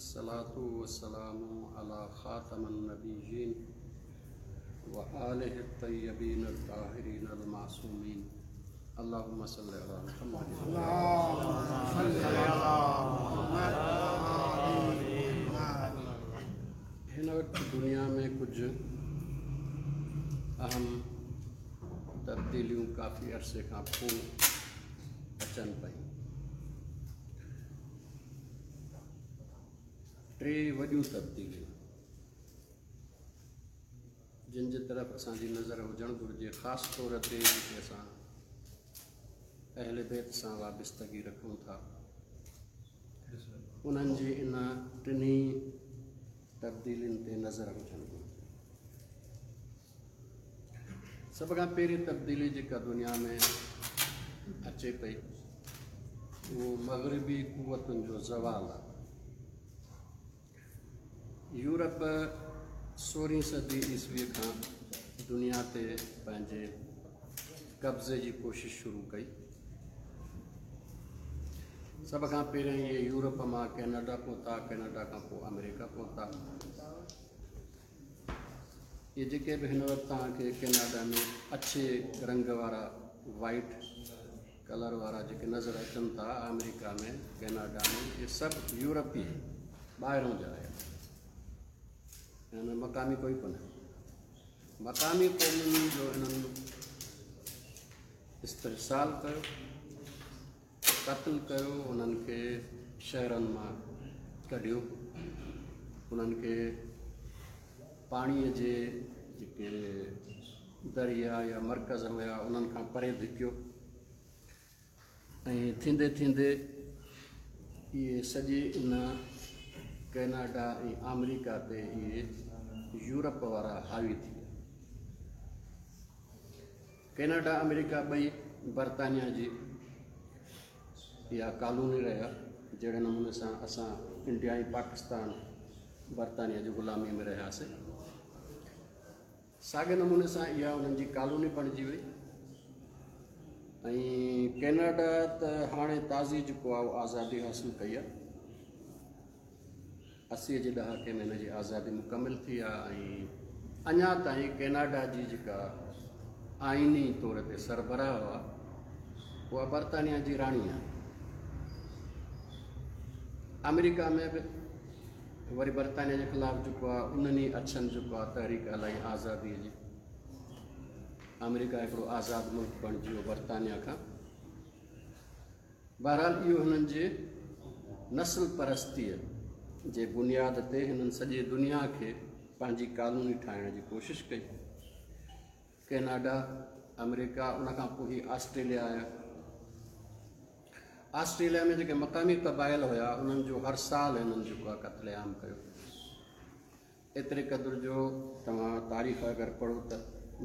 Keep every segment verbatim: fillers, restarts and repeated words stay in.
الصلاة والسلام على خاتم النبيين وآله الطيبين الطاهرين المعصومين. اللهم صل على محمد. اللهم صل على محمد. هن وقت دنيا ۾ ڪجهه اهم تبديليون ڪافي عرصي کان پوءِ اچن پيون. ٽي وڏيون تبديليون جن جي طرف اسان جي نظر هجڻ گهرجي، خاص طور تي جيڪي اسان اهل بيت سان وابستگي رکون ٿا، انهن جي ان ٽنهي تبديلين تي نظر هجڻ گهرجي. سڀ کان پهرين تبديلي جيڪا دنيا ۾ اچي پئي اهو مغربي قوتن جو زوال آهي. يورپ سورهين صدي عيسويءَ کان دنيا تي پنهنجي قبضي جي ڪوشش شروع ڪئي. سڀ کان پهريون اهي يورپ مان ڪينيڊا پهتا، ڪينيڊا کان پوءِ آمريڪا پهتا. اهي جيڪي به هن وقت توهان کي ڪينيڊا ۾ اڇي رنگ وارا، وائيٽ ڪلر وارا جيڪي نظر اچن ٿا آمريڪا ۾ ڪينيڊا ۾، اهي سڀ يورپي ٻاهران جا آيا، هن ۾ مقامي ڪوئي ڪونهي. مقامي قومن جو هنن استحصال ڪيو، قتل ڪيو، انهن کي شهرن مان ڪڍيو، انهن کي پاڻيءَ جي جيڪي دريا يا مرڪز هئا انهن کان پري ڌڪيو ۽ ٿيندي ٿيندي اهي سڄي ان ڪينيڊا ۽ آمريڪا تي اهي يورپ وارا حاوي ٿي ويا. ڪينيڊا آمريڪا ٻئي برطانيا جي اها ڪالوني رهيا. جهڙي نموني سان اسان انڊيا ۽ پاڪستان برطانيا جي غلاميءَ ۾ رهياسين، ساڳئي نموني سان اها انهن جي ڪالوني بڻجي وئي. ۽ ڪينيڊا ته هاڻي تازي جيڪو آهي اهو آزادي حاصل ڪئي آهي. اسيءَ جي ڏهاڪي ۾ هن جي آزادي مڪمل ٿي آهي ۽ اڃا تائين ڪينيڊا جي جيڪا آئيني طور تي سربراهه هئا اها برطانيا جي راڻي آهي. آمريڪا ۾ به وري برطانيا جي خلاف جيڪو آهي انهن ئي اڇن جيڪو آهي تحريڪ هلائي آزاديءَ جي. آمريڪا هڪڙو آزاد ملڪ بڻجي ويو برطانيا کان. بهرحال اهو هنن جي نسل پرستيءَ جي بنياد تي هنن سڄي دنيا کي پنهنجي ڪالوني ٺاهڻ جي ڪوشش ڪئي. ڪينيڊا، آمريڪا، ان کان پوءِ هي آسٽريليا آيا. آسٽريليا ۾ جيڪي مقامي قبائل هئا انهن جو هر سال هنن جيڪو آهي قتل عام ڪيو. ايتري قدر جو توهان تاريخ اگر پڙهو ته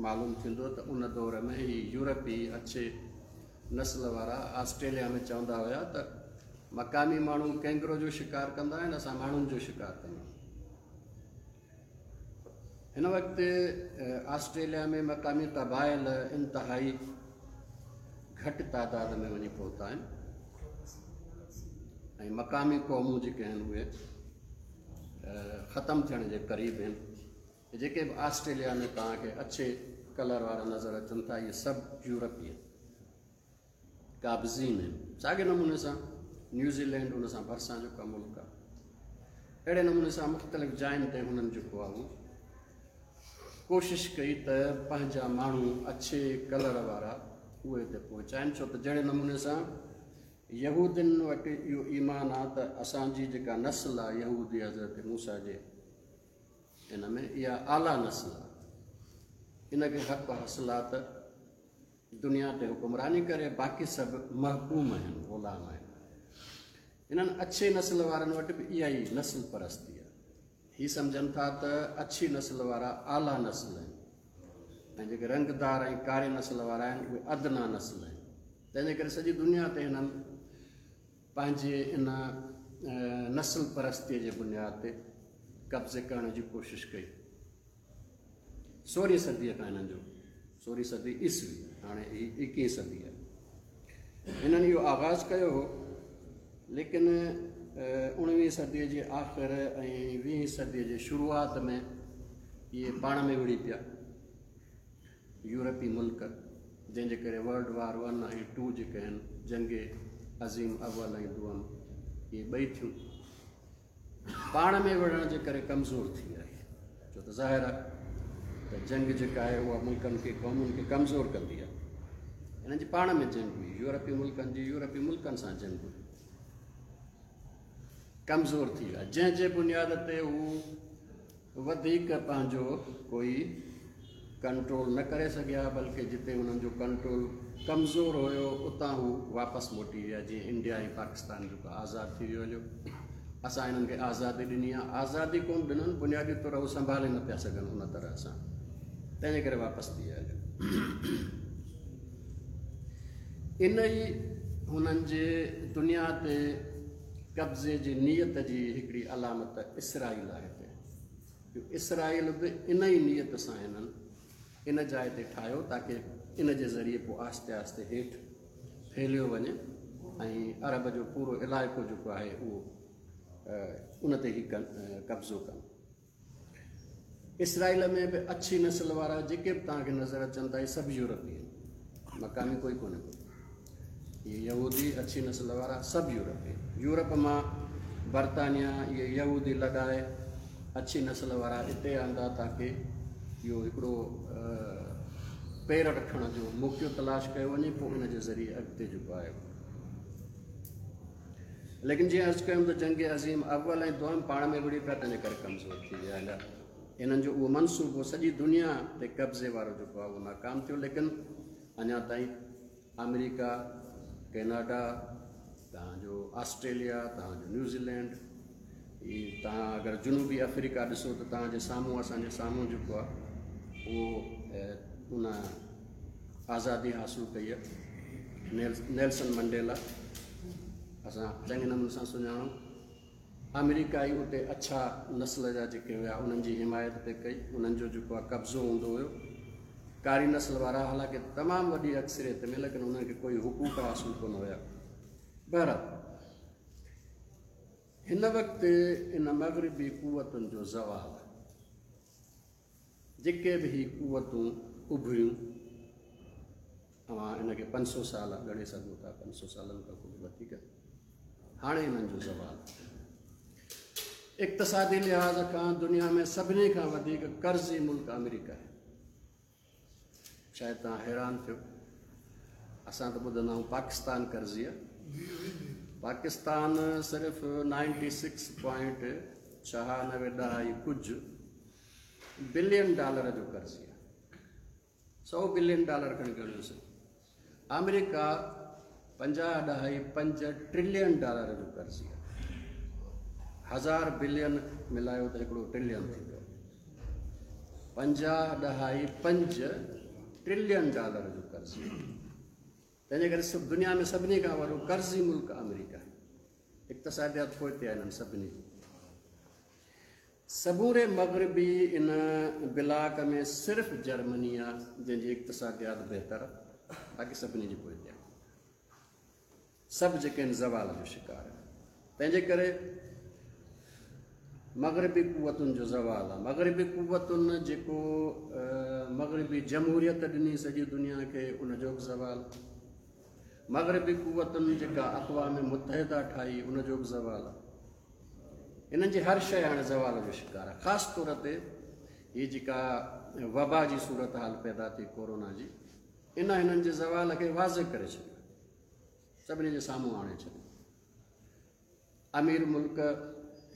معلوم ٿيندو ته ان دور ۾ هي يورپي اڇي نسل وارا آسٽريليا ۾ چوندا هئا ته مقامي ماڻهو ڪينگرو جو شڪار ڪندا آهن، اسان ماڻهن جو شڪار ڪندا آهيون. هن وقت آسٽريليا ۾ مقامي قبائل انتهائي گهٽ تعداد ۾ وڃي پهتا آهن ۽ مقامي قومون جيڪي آهن اهي ختم ٿيڻ جي قريب آهن. جيڪي به آسٽريليا ۾ توهان کي اڇي ڪلر وارا نظر اچن ٿا اهي سڀ يورپي آهن، قابضين آهن. ساڳئي نموني سان نيوزيلينڊ ان سان ڀرسان جيڪو آهي ملڪ آهي، اهڙي نموني سان مختلف جاين تي هنن جيڪو آهي اهو ڪوشش ڪئي ته پنهنجا ماڻهو اڇي ڪلر وارا اهي هتي پهچائين. ڇو ته جهڙي نموني سان يهودين وٽ اهو ايمان آهي ته اسان جي جيڪا نسل آهي يهودي حضرت موسيٰ جي ان ۾ اها اعليٰ نسل آهي، ان کي حق حاصل آهي ته دنيا تي حڪمراني ڪري، باقي سڀ محڪوم آهن، غلام آهن. انهن اڇي نسل وارن وٽ به اها ئي نسل پرستي آهي. هي سمجهن ٿا ته اڇي نسل وارا اعليٰ نسل آهن ۽ جيڪي رنگدار ۽ ڪاري نسل وارا آهن اهي ادنيٰ نسل آهن. تنهن جي ڪري سڄي دنيا تي هنن پنهنجي ان نسل پرستيءَ جي بنياد تي قبضي ڪرڻ جي ڪوشش ڪئي. سورهين صديءَ کان هنن جو، سورهين صدي عيسوي، هاڻي هي ايڪويهين صدي آهي، هنن اهو آغاز ڪيو هو. ليڪن اڻويهين صديء جي آخر ۽ ويهين صديء جي شروعات ۾ اهي پاڻ ۾ وڙهي پيا يورپي ملڪ، جنهن جي ڪري ورلڊ وار ون ۽ ٽو جيڪي آهن، جنگ عظيم اول ۽ دوم، اهي ٻئي ٿيون. پاڻ ۾ وڙهڻ جي ڪري ڪمزور ٿي ويا، ڇو ته ظاهر آهي ته جنگ جيڪا آهي اها ملڪن کي، قومن کي ڪمزور ڪندي آهي. هنن جي پاڻ ۾ جنگ هئي، يورپي ملڪن جي يورپي ملڪن سان جنگ هئي، ڪمزور ٿي ويا، جنهن جي بنياد تي هو وڌيڪ پنهنجو ڪوئي ڪنٽرول نه ڪري سگهيا، بلڪه جتي هنن جو ڪنٽرول ڪمزور هيو اتان هو واپس موٽي ويا. جيئن انڊيا ۽ پاڪستان جيڪو آزاد ٿي ويو هليو، اسان هنن کي آزادي ڏني آهي، آزادي ڪونه ڏنن، بنيادي طور هو سنڀالي نه پيا سگهن ان طرح سان، تنهن جي ڪري واپس ٿي ويا هليو. ان ئي هنن جي دنيا تي قبضي جي نيت جي هڪڙي علامت اسرائيل آهي. جو اسرائيل به ان ئي نيت سان هنن ان جاءِ تي ٺاهيو تاڪه ان جي ذريعي پوءِ آهستي آهستي هيٺ ڦهليو وڃي ۽ عرب جو پورو علائقو جيڪو آهي اهو ان تي ئي قبضو ڪن. اسرائيل ۾ به اڇي نسل وارا جيڪي به توهان کي نظر اچن ٿا، اهي سڀ يورپي آهن، مقامي ڪوئي ڪونهي ڪو. اهي يهودي اڇي نسل وارا سڀ يورپي آهن. يورپ مان برطانيا اهي يهودي لڏائي اڇي نسل وارا هتي آندا تاڪه اهو هڪڙو پير رکڻ جو موقعو تلاش ڪيو وڃي، پوءِ ان جي ذريعي اڳتي جيڪو آهي. ليڪن جيئن عرض ڪيم ته جنگ عظيم اول ۽ دوم پاڻ ۾ وڙهي پيا، تنهن جي ڪري ڪمزور ٿي ويا هليا. هنن جو اهو منصوبو سڄي دنيا تي قبضي وارو جيڪو آهي اهو ناڪام ٿيو. ليڪن اڃا تائين آمريڪا، ڪينيڊا، توهان جو آسٽريليا، توهان جو نيوزيلينڊ، هي توهان اگر جنوبي آفريڪا ڏسو ته توهان جي سامهون، اسان جي سامهون جيڪو آهي اهو ان آزادي حاصل ڪئي آهي. نيلسن منڊيلا اسان چڱي نموني سان سڃاڻون. آمريڪا ئي اتي اڇا نسل جا جيڪي هئا انهن جي حمايت پئي ڪئي، انهن جو جيڪو آهي قبضو هوندو هيو. ڪاري نسل وارا حالانڪه تمام وڏي اڪثريت ۾، ليڪن انهن کي ڪوئي حقوق حاصل ڪونه هئا. بهرحال هن وقت ان مغربي قوتن جو زوال، جيڪي به هي قوتون اڀريون، اوهان ان کي پنج سؤ سال ڳڻي سگهو ٿا، پنج سؤ سالن کان ڪجهه وڌيڪ. هاڻي هنن جو زوال اقتصادي لحاظ کان دنيا ۾ سڀني کان وڌيڪ قرضي ملڪ آمريڪا آهي. شايد توهان حيران ٿيو، اسان ته ٻڌندا آهيون پاڪستان قرضي آهي. پاڪستان صرف نائنٽي سڪس پوائنٽ ڇهانوي ڏهائي ڪجهه بلين ڊالر جو قرضي آهي، سؤ بلين ڊالر کڻي ڳڻيوسين. آمريڪا پنجاهه ڏهائي پنج ٽريلين ڊالر جو قرضي آهي. هزار بلين ملايو ته هڪڙو ٽريلين ٿيندو. پنجاهه ڏهائي پنج ٽريلين ڊالر جو قرضي آهي. تنهن جي ڪري سڀ دنيا ۾ سڀني کان وڏو قرضي ملڪ آمريڪا آهي. اقتصاديات پوئتي آهي هنن سڀني جي. سموري مغربي ان بلاڪ ۾ صرف جرمني آهي جنهن جي اقتصاديات بهتر آهي، باقي سڀني جي پوئتي آهي. سڀ جيڪي آهن زوال جو شڪار آهن. تنهن جي ڪري مغربي قوتن جو زوال آهي. مغربي قوتن جيڪو مغربي جمهوريت ڏني سڄي دنيا کي، ان جو به زوال. مغربي قوتن جيڪا اقوام متحده ٺاهي، ان جو به زوال آهي. هنن جي هر شيءِ هاڻي زوال جو شڪار آهي. خاص طور تي هيءَ جيڪا وبا جي صورت حال پيدا ٿي ڪورونا جي، ان هنن جي زوال کي واضح ڪري ڇڏيو، سڀني جي سامهون آڻي ڇڏيو. امير ملڪ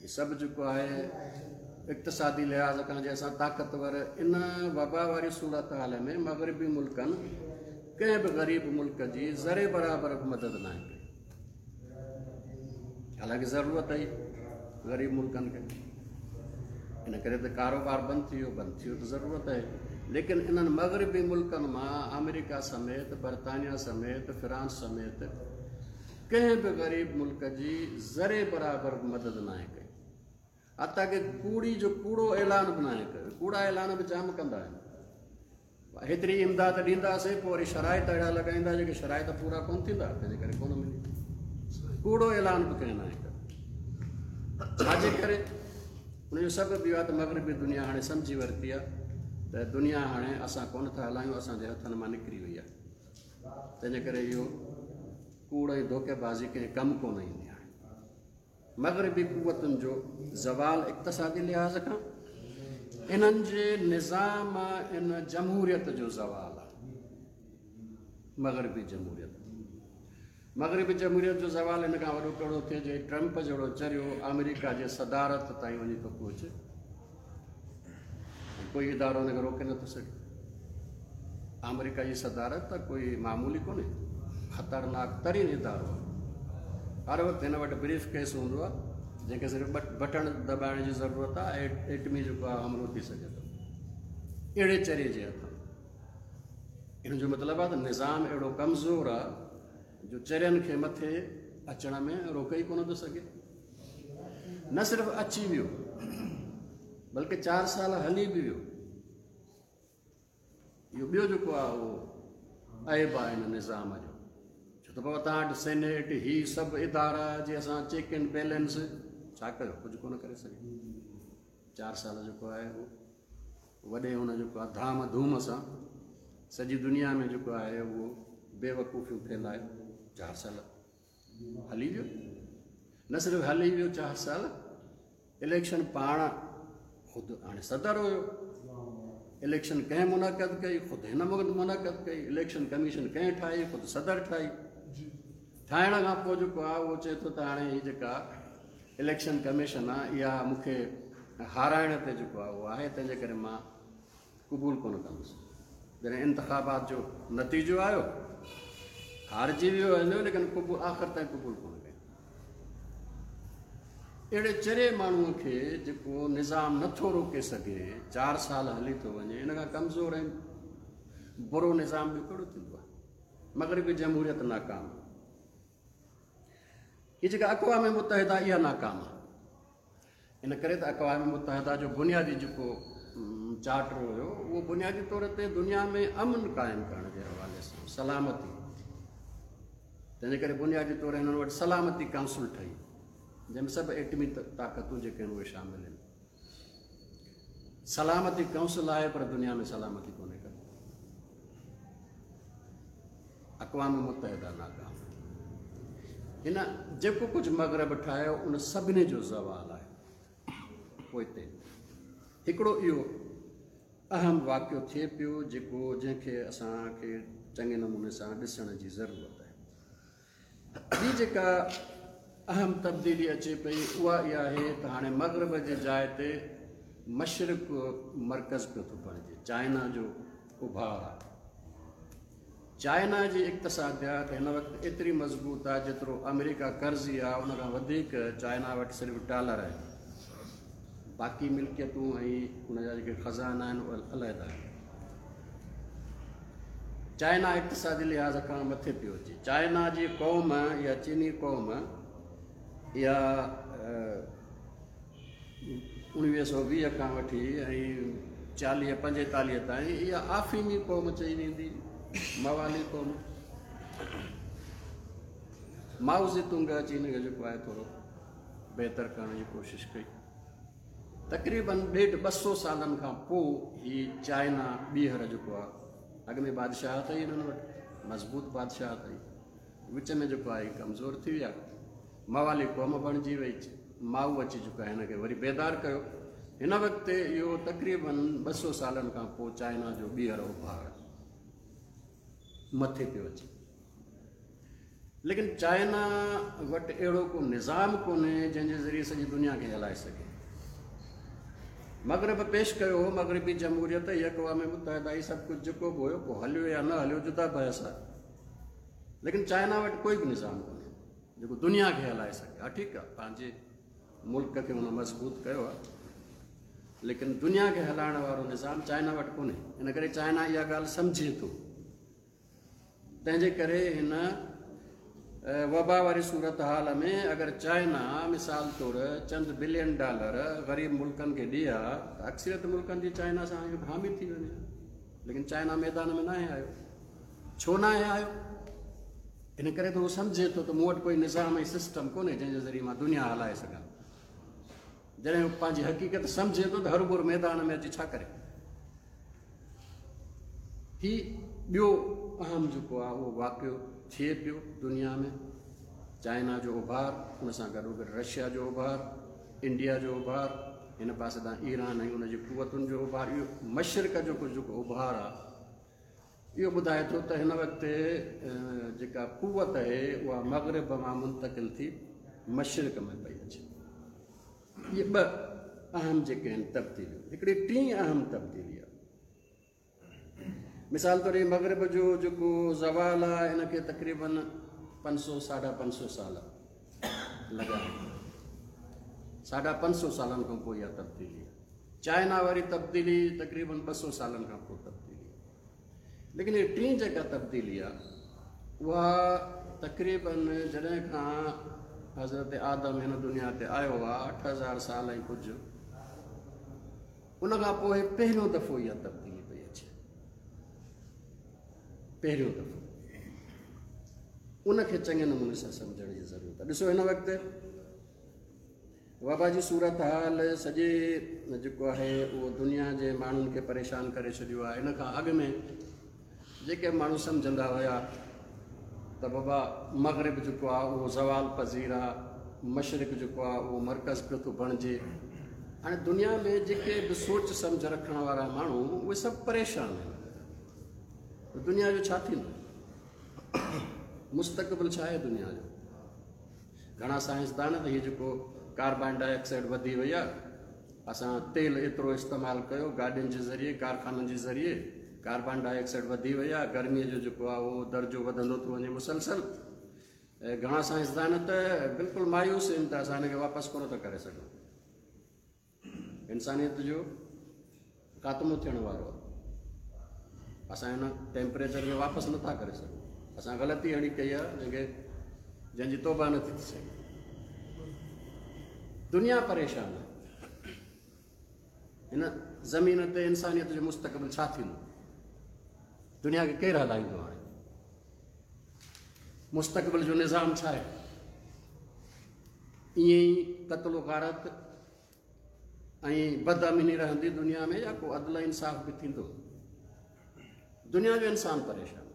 هي سڀ جيڪو آهي اقتصادي لحاظ کان جنهن سان طاقتور، ان وبا واري صورت حال ۾ مغربي ملڪن ڪنهن به غريب ملڪ جي ذري برابر به مدد نه آهي ڪئي. حالانڪه ضرورت هئي غريب ملڪن کي، ان ڪري ته ڪاروبار بند ٿي ويو، بند ٿي ويو ته ضرورت آهي. ليڪن انهن مغربي ملڪن مان آمريڪا سميت، برطانيا سميت، فرانس سميت ڪنهن به غريب ملڪ جي ذري برابر به مدد نه آهي ڪئي. حتيٰ ڪه ڪوڙي جو ڪوڙو اعلان به نه آهي ڪيو. ڪوڙا اعلان به جام ڪندا آهن، هيتري امداد ڏينداسين، پوءِ وري شرائط اهڙا لڳائيندا جيڪي شرائط پورا ڪونه ٿيندا، تنهن جي ڪري ڪونه ملي. ڪوڙو اعلان به ڪنهن نه آهي ڪيو. ڇا جي ڪري؟ ان جو سبب اهو آهي ته مغربي دنيا هاڻي سمجهي ورتي آهي ته دنيا هاڻي اسان ڪونه ٿا هلايون، اسان جي هٿن مان نڪري وئي آهي. تنهن جي ڪري اهو ڪوڙ ۽ ڌوڪيبازي ڪنهن ڪم ڪونه ايندي. هاڻي مغربي قوتن جو زوال اقتصادي لحاظ کان، انهن جي نظام ان جمهوريت جو زوال آهي. مغربي جمهوريت مغربي جمهوريت جو زوال ان کان وڏو ڪهڙو ٿئي جو ٽرمپ جهڙو چريو آمريڪا جي صدارت تائين وڃي ٿو پهچي، ڪوئي ادارو هن کي روڪي نٿو سگهي. آمريڪا جي صدارت ته ڪوئي معمولي ڪونهي، خطرناڪ ترين ادارو آهي. هر وقت هن وٽ بريف ڪيس هوندو آهي جنهن کي صرف بٽڻ دٻائڻ جي ضرورت آهي، ايٽمي جيڪو آهي حملو ٿي سگهي ٿو اهڙي چري جي هٿان. ان جو مطلب آهي ته نظام اهڙو ڪمزور آهي جو چرين کي مٿي اچڻ ۾ روڪي ئي ڪونه ٿو سگهي. نه صرف اچي ويو بلڪه چار سال هلي به ويو. اهو ٻيو جيڪو آهي اهو عيب آهي هن نظام جو. ڇو ته بابا توهان وٽ سينيٽ هي سڀ ادارا جي اسان چيڪ اينڊ بيلنس ڇا ڪيو، ڪجهه ڪونه ڪري سگهي. چار سال جيڪو آهي اهو وڏي هن جيڪو آهي ڌام ڌوم سان سڄي دنيا ۾ جيڪو آهي اهو بيوقوفيون ڦهلائي چار سال هلي ويو. نه صرف هلي ويو چار سال، اليڪشن پاڻ خود هاڻي صدر هيو، اليڪشن ڪنهن منعقد ڪئي؟ خود هن منعقد ڪئي. اليڪشن ڪميشن ڪنهن ٺاهي؟ خود صدر ٺاهي. ٺاهڻ کان پوءِ جيڪو آهي اهو چئي ٿو ته هاڻي هيءَ جيڪا اليڪشن ڪميشن آهي اها مون کي هارائڻ تي جيڪو آهي اهو آهي، تنهن جي ڪري مان قبول ڪونه ڪندس. جڏهن انتخابات جو نتيجو آيو هارجي ويو هليو، ليڪن قبول آخر تائين قبول ڪونه ڪيو. اهڙي چري ماڻهوءَ کي جيڪو نظام نٿو روڪي سگهي، چار سال هلي ٿو وڃي، ان کان ڪمزور ۽ برو نظام ٻيو ڪهڙو ٿيندو آهي؟ مغربي جمهوريت ناڪام، هيءَ جيڪا اقوام متحده اها ناڪام آهي. ان ڪري ته اقوام متحده جو بنيادي جيڪو چارٽر هيو اهو بنيادي طور تي دنيا ۾ امن قائم ڪرڻ جي حوالي سان، سلامتي. تنهن جي ڪري بنيادي طور هنن وٽ سلامتي ڪائونسل ٺهي جنهن ۾ سڀ ايٽمي طاقتون جيڪي آهن اهي شامل آهن. سلامتي ڪائونسل آهي پر دنيا ۾ سلامتي ڪونهي ڪا. اقوام متحده ناڪام. هن جيڪو ڪجهه مغرب ٺاهيو ان سڀني جو زوال آهي. پوئتي هڪڙو اهو اهم واقعو ٿئي پيو جيڪو جنهن کي اسان کي چڱي نموني سان ڏسڻ جي ضرورت آهي. ٻي جيڪا اهم تبديلي اچي پئي اها اها آهي ته هاڻي مغرب جي جاءِ تي مشرق مرڪز پيو ٿو بڻجي. چائنا جو اڀار آهي. چائنا جي اقتصاديات هن وقت ايتري مضبوط آهي جيترو آمريڪا قرضي آهي ان کان وڌيڪ چائنا وٽ صرف ڊالر آهن، باقي ملڪيتون ۽ ان جا جيڪي خزانا آهن اهي علحده آهن. چائنا اقتصادي لحاظ کان مٿي پيو اچي. چائنا جي قوم يا چيني قوم اها اڻويهه سؤ ويهه کان وٺي ۽ چاليهه پنجيتاليهه تائين اها آفيمي قوم چئي ويندي، موالي قوم. مائو زي تنگ اچي هن کي جيڪو آهي ٿورو بهتر ڪرڻ جي ڪوشش ڪئي. تقريبن ڏيڍ ٻه سؤ سالن کان پوءِ هيءَ چائنا ٻيهر جيڪو آهي، اڳ ۾ بادشاهت هئي هنن وٽ، مضبوط بادشاهت هئي، وچ ۾ جيڪو آهي ڪمزور ٿي ويا، موالي قوم بڻجي وئي. مائو اچي جيڪو آهي هن کي وري بيدار ڪيو. هن وقت اهو تقريبن ٻه سؤ سالن کان پوءِ چائنا جو ٻيهر اڀار مٿي پيو اچي. ليڪن چائنا وٽ اهڙو ڪو نظام ڪونهي جنهن جي ذريعي سڄي دنيا کي هلائي سگهي. مغرب پيش ڪيو هو مغربي جمهوريت، هيءَ اقوام متحده، هيءَ سڀ ڪجهه جيڪو به هيو پوءِ هليو يا نه هليو جدا بحث آهي. ليڪن چائنا وٽ ڪوئي به نظام ڪونهي جيڪو دنيا کي هلائي سگهي. ها ٺيڪ آهي، پنهنجي ملڪ کي هن مضبوط ڪيو آهي، ليڪن دنيا کي هلائڻ وارو نظام چائنا وٽ ڪونهي. ان ڪري چائنا اها ڳالهه سمجهي ٿو. تنهن جي ڪري هن وبا واري صورت حال ۾ اگر چائنا مثال طور چند بلين ڊالر غريب ملڪن کي ڏئي ها ته اڪثريت ملڪن جي چائنا سان حامي ٿي وڃي. ليڪن چائنا ميدان ۾ نه آهي آيو. ڇو نه آهي آيو؟ ان ڪري ته هو سمجهي ٿو ته مون وٽ ڪوئي نظام ۽ سسٽم ڪونهي جنهن جي ذريعي مان دنيا هلائي سگهان. जॾहिं पंहिंजी हक़ीक़त सम्झे थो त हरभर मैदान में अची छा करे। ही ॿियो अहम जेको आहे उहो वाक़ियो थिए पियो दुनिया में। चाइना जो उभार, उन सां गॾोगॾु रशिया जो उभार, इंडिया जो उभार, हिन पासे तां ईरान ऐं उनजी कुवतुनि जो उभार, इहो मशरिक़ जो जेको उभार आहे इहो ॿुधाए थो त हिन वक़्तु जेका कुवत आहे उहा मग़रिब मां मुंतकिल थी मशरिक़ में पई अचे। इहे ॿ अहम जेके आहिनि तब्दीलियूं। हिकिड़ी टीं अहम तब्दीली आहे, मिसाल तौरु मग़रिब जो जेको ज़वाल आहे हिनखे तक़रीबन पंज सौ साढा पंज सौ साल लॻा आहिनि। साढा पंज सौ सालनि खां पोइ इहा तब्दीली आहे। चाइना वारी तब्दीली तक़रीबन ॿ सौ सालनि खां पोइ तब्दीली आहे। लेकिन हीअ टीं जेका तब्दीली आहे उहा तक़रीबन जॾहिं खां हज़रत आदम हिन दुनिया ते आयो आहे अठ हज़ार साल ऐं कुझु, उन खां पोइ पहिरियों दफ़ो इहा तब्दीली पई अचे, पहिरियों दफ़ो। उनखे चङे नमूने सां सम्झण जी ज़रूरत आहे। ॾिसो हिन वक़्तु वबा जी सूरत हाल सॼे जेको आहे उहो दुनिया जे माण्हुनि खे परेशान करे छॾियो आहे। इन खां अॻु में जेके माण्हू सम्झंदा हुया त बाबा मग़रिब जेको आहे उहो ज़वाल पज़ीर आहे, मशरिक़ जेको आहे उहो मर्कज़ पियो थो बणिजे। हाणे दुनिया में जेके बि सोच सम्झ रखण वारा माण्हू उहे सभु परेशान आहिनि। दुनिया जो छा थींदो, मुस्तक़बिल छा आहे दुनिया जो? घणा साइंसदान त हीउ जेको कार्बन डाइऑक्साइड वधी वई आहे, असां तेल एतिरो इस्तेमालु कयो गाॾियुनि जे ज़रिए, कारखाननि जे ज़रिए, कार्बन डाइऑक्साइड वधी वई आहे, गर्मीअ जो जेको आहे उहो दर्जो वधंदो थो वञे मुसलसल। ऐं घणा साइंसदान त बिल्कुलु मायूस आहिनि त असां हिनखे वापसि कोन था करे सघूं, इंसानियत जो ख़ात्मो थियण वारो आहे, असां हिन टेम्परेचर खे वापसि नथा करे सघूं, असां ग़लती अहिड़ी कई आहे जंहिंखे जंहिंजी तौबा नथी थी सघे। दुनिया परेशान आहे, हिन ज़मीन ते इंसानियत जो मुस्तक़बिल छा थींदो, दुनिया खे केरु हलाईंदो? हाणे मुस्तक़बिल जो निज़ाम छा आहे? ईअं ई क़त्ल गारत ऐं बदअमनी रहंदी दुनिया में या को अदल इंसाफ़ बि थींदो? दुनिया जो इंसान परेशान,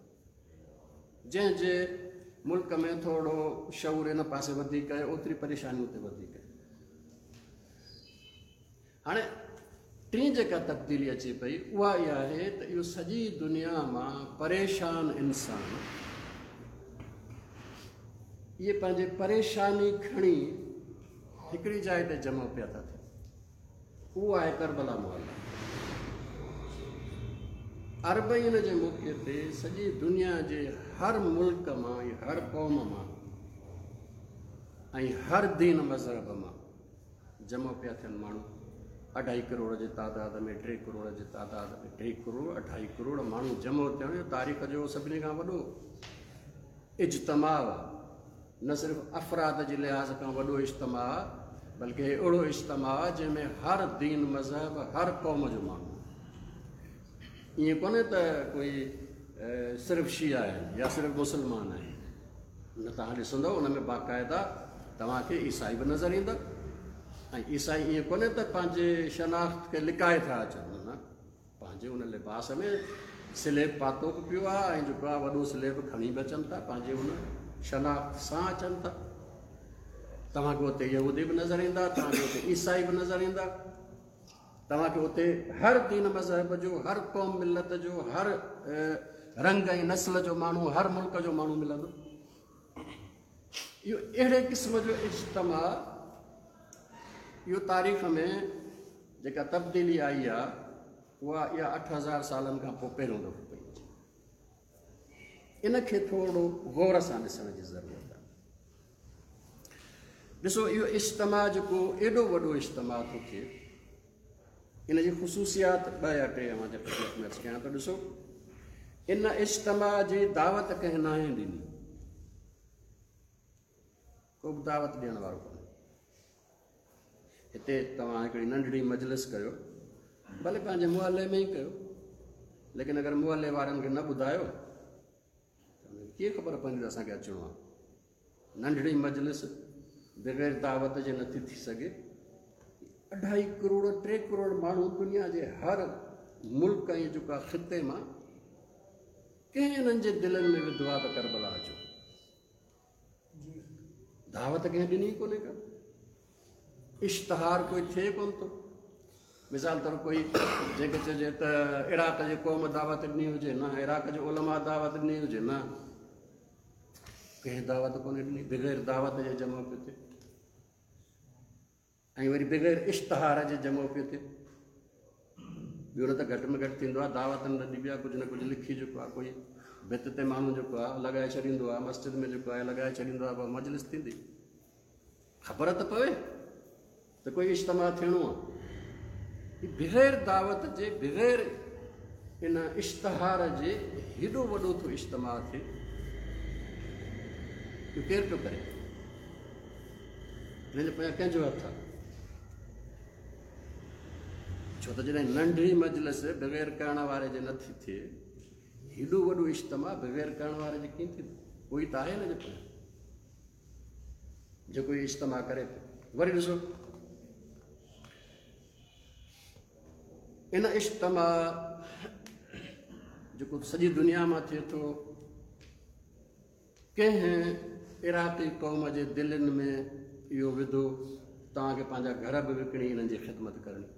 जंहिंजे मुल्क में थोरो शऊर इन पासे वधीक आहे ओतिरी परेशानी उते वधीक आहे। हाणे टीं जेका तब्दीली अचे पई उहा इहा आहे त इहो सॼी दुनिया मां परेशान इंसान इहे पंहिंजी परेशानी खणी हिकिड़ी जाइ ते जमा पिया था थियनि, उहो आहे करबला मोहल्ला। अरबईन जे मौक़े ते सॼी दुनिया जे हर मुल्क मां, हर क़ौम मां ऐं हर दीन मज़हब मां जमा पिया थियनि माण्हू। अढाई करोड़ जे तादाद में, टे करोड़ जे तादाद में, टे करोड़ अढाई करोड़ माण्हू जमो थियणु तारीख़ जो सभिनी खां वॾो इज्तिमा आहे। न सिर्फ़ अफ़राद जे लिहाज़ खां वॾो इज्तिमा आहे, बल्कि अहिड़ो इज्तिमा आहे जंहिंमें हर दीन मज़हब, हर क़ौम जो माण्हू। ईअं कोन्हे त कोई सिर्फ़ शिया आहिनि या सिर्फ़ मुसलमान आहिनि, न तव्हां ॾिसंदव उन में बाक़ाइदा तव्हांखे ईसाई बि नज़र ईंदा। ऐं ईसाई ईअं कोन्हे त पंहिंजे शनाख़्त खे लिकाए था अचनि, न, पंहिंजे उन लिबास में स्लेब पातो बि पियो आहे ऐं जेको आहे वॾो स्लेब खणी बि अचनि था, पंहिंजे उन शनाख़्त सां अचनि था। तव्हांखे उते यहूदी बि नज़र ईंदा, तव्हांखे उते ईसाई बि नज़र ईंदा, तव्हांखे उते हर दीन मज़हब जो, हर क़ौम मिलत जो, हर रंग ऐं नस्ल जो माण्हू, हर मुल्क जो माण्हू मिलंदो। इहो अहिड़े क़िस्म जो इज्तिमा इहो तारीख़ में जेका तब्दीली आई आहे उहा इहा अठ हज़ार सालनि खां पोइ पहिरियों दफ़ो पई अचे। इनखे थोरो गौर सां ॾिसण जी ज़रूरत आहे। ॾिसो इहो इज्तिमा जेको एॾो वॾो इज्तिमा थो थिए, इन जी ख़ुशूसियात ॿ या टे अव्हां जे ख़िदमत में अर्ज़ु कयां थो। ॾिसो इन इज्तिमा जी दावत कंहिं नाहे ॾिनी, को बि दावत ॾियण वारो कोन्हे। हिते तव्हां हिकिड़ी नंढड़ी मजलिस कयो, भले पंहिंजे मुहल्ले में ई कयो, लेकिन अगरि मुहल्ले वारनि खे न ॿुधायो त हुनखे कीअं ख़बर पवंदी त असांखे अचिणो आहे। नंढड़ी मजलिस बग़ैर दावत जे नथी थी सघे। اڍائي ڪروڙ ٽي ڪروڙ ماڻهو دنيا جي هر ملڪ ۽ جيڪو آهي خطي مان ڪنهن انهن جي دلن ۾ وڌو آهي ته ڪربلا اچو. دعوت ڪنهن ڏني ڪونهي ڪا، اشتهار ڪوئي ٿئي ڪونه ٿو. مثال طور ڪوئي جيڪي چئجي ته عراق جي قوم دعوت ڏني هجي نه، عراق جي علماء دعوت ڏني هجي نه، ڪنهن دعوت ڪونه ڏني، بغير دعوت جي جمع پيو ٿئي ۽ وري بغير اشتهار جي جمع پيو ٿئي. ٻيو نه ته گهٽ ۾ گهٽ ٿيندو آهي دعوت نه ڏبي آهي، ڪجهه نه ڪجهه لکي جيڪو آهي ڪوئي ڀت تي ماڻهو جيڪو آهي لڳائي ڇڏيندو آهي، مسجد ۾ جيڪو آهي لڳائي ڇڏيندو آهي، پوءِ مجلس ٿيندي، خبر ته پوي ته ڪوئي اجتماع ٿيڻو آهي. بغير دعوت جي، بغير ان اشتهار جي هيڏو وڏو ٿو اجتماع ٿئي، اهو ڪير پيو ڪري؟ هن جي پويان ڪنهن جو هٿ آهي؟ ڇو ته جڏهن ننڍي مجلس بغير ڪرڻ واري جي نٿي ٿئي، هيڏو وڏو اجتماع بغير ڪرڻ واري جي ڪيئن ٿيندو؟ ڪوئي ته آهي هن جي پويان جيڪو اهو اجتماع ڪري ٿو. وري ڏسو ان اجتماع جيڪو سڄي دنيا مان ٿئي ٿو، ڪنهن عراقي قوم جي دلين ۾ اهو وڌو توهان کي پنهنجا گهر به وڪڻي انهن جي خدمت ڪرڻي.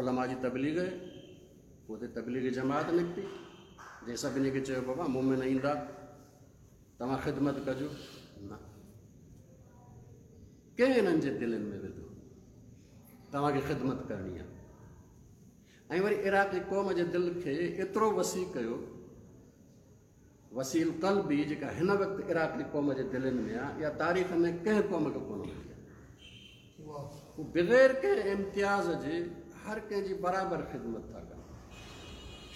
علماء جي تبليغ، پوءِ اتي تبليغ جماعت نڪتي جنهن سڀني کي چيو بابا مومن ايندا توهان خدمت ڪجو. نه، ڪنهن انهن جي دلين ۾ وڌو توهان کي خدمت ڪرڻي آهي. ۽ وري عراقي قوم جي دل کي ايترو وسيع ڪيو، وسيع قلبي جيڪا هن وقت عراقي قوم جي دلين ۾ آهي، اها تاريخ ۾ ڪنهن قوم کي ڪونه ملي آهي. هو بغير ڪنهن امتياز جي هر ڪنهن جي برابر خدمت ٿا ڪن.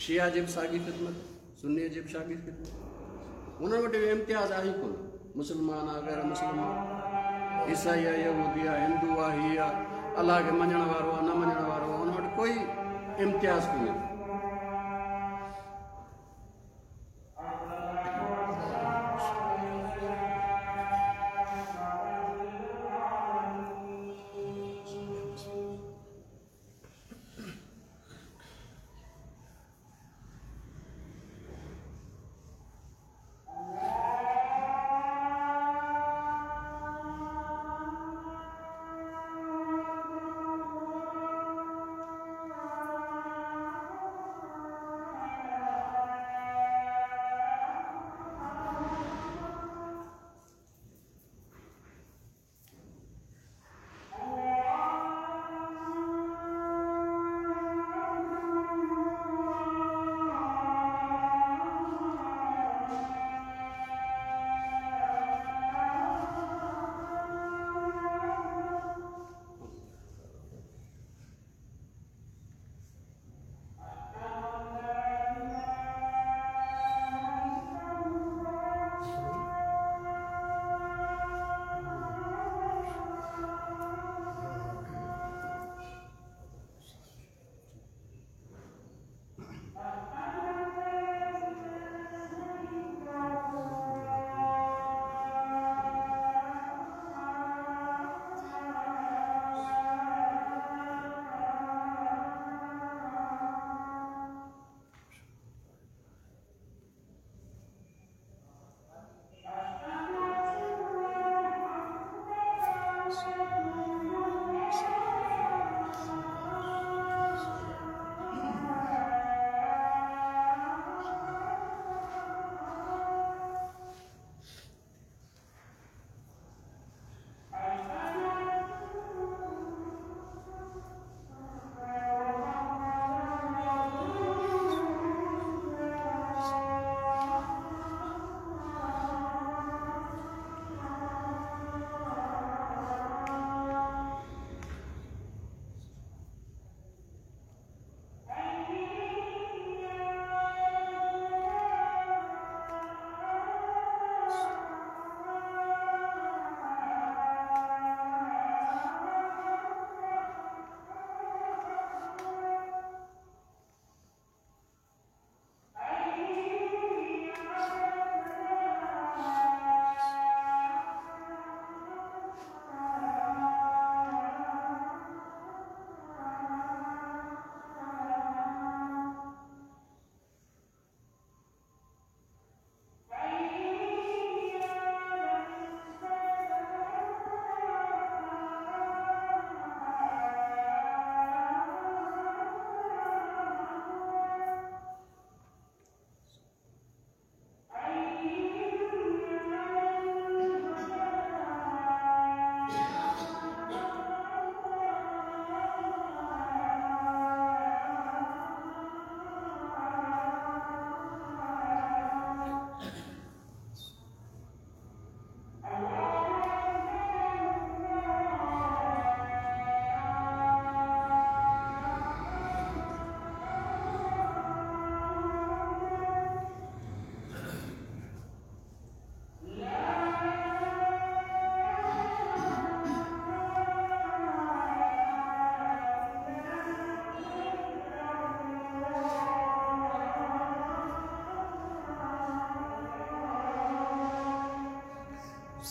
شيعا جي به ساڳي خدمت، سني جي به ساڳي خدمت، هنن وٽ اهو امتياز آهي ئي ڪونه. مسلمان آهي، غير مسلمان، عيسائي آهي، يهودي آهي، هندو آهي، هي آهي، الله کي مڃڻ وارو آهي، نه مڃڻ وارو آهي، هن وٽ ڪوئي امتياز ڪونهي.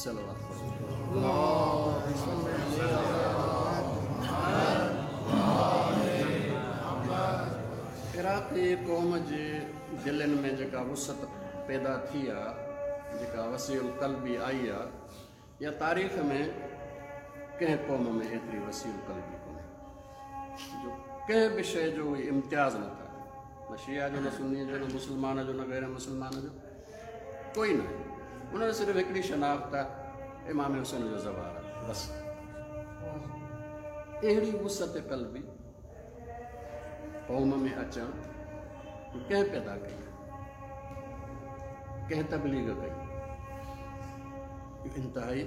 صلوات پڙهو. عراقي قوم جي دلين ۾ جيڪا وسعت پيدا ٿي آهي، جيڪا وسيع القلبي آئي آهي، يا تاريخ ۾ ڪنهن قوم ۾ ايتري وسيع القلبي ڪونهي جو ڪنهن به شيءِ جو اهي امتياز نٿا ڪن، نه شيعا جو، نه سني جو، نه مسلمان جو، نه غير مسلمان جو، ڪوئي نه. ان جو صرف هڪڙي شناخت آهي، امام حسين جو زوار آهي، بس. اهڙي وسعت قلبي قوم ۾ اچڻ ڪنهن پيدا ڪئي؟ ڪنهن تبليغ ڪئي؟ اهو انتهائي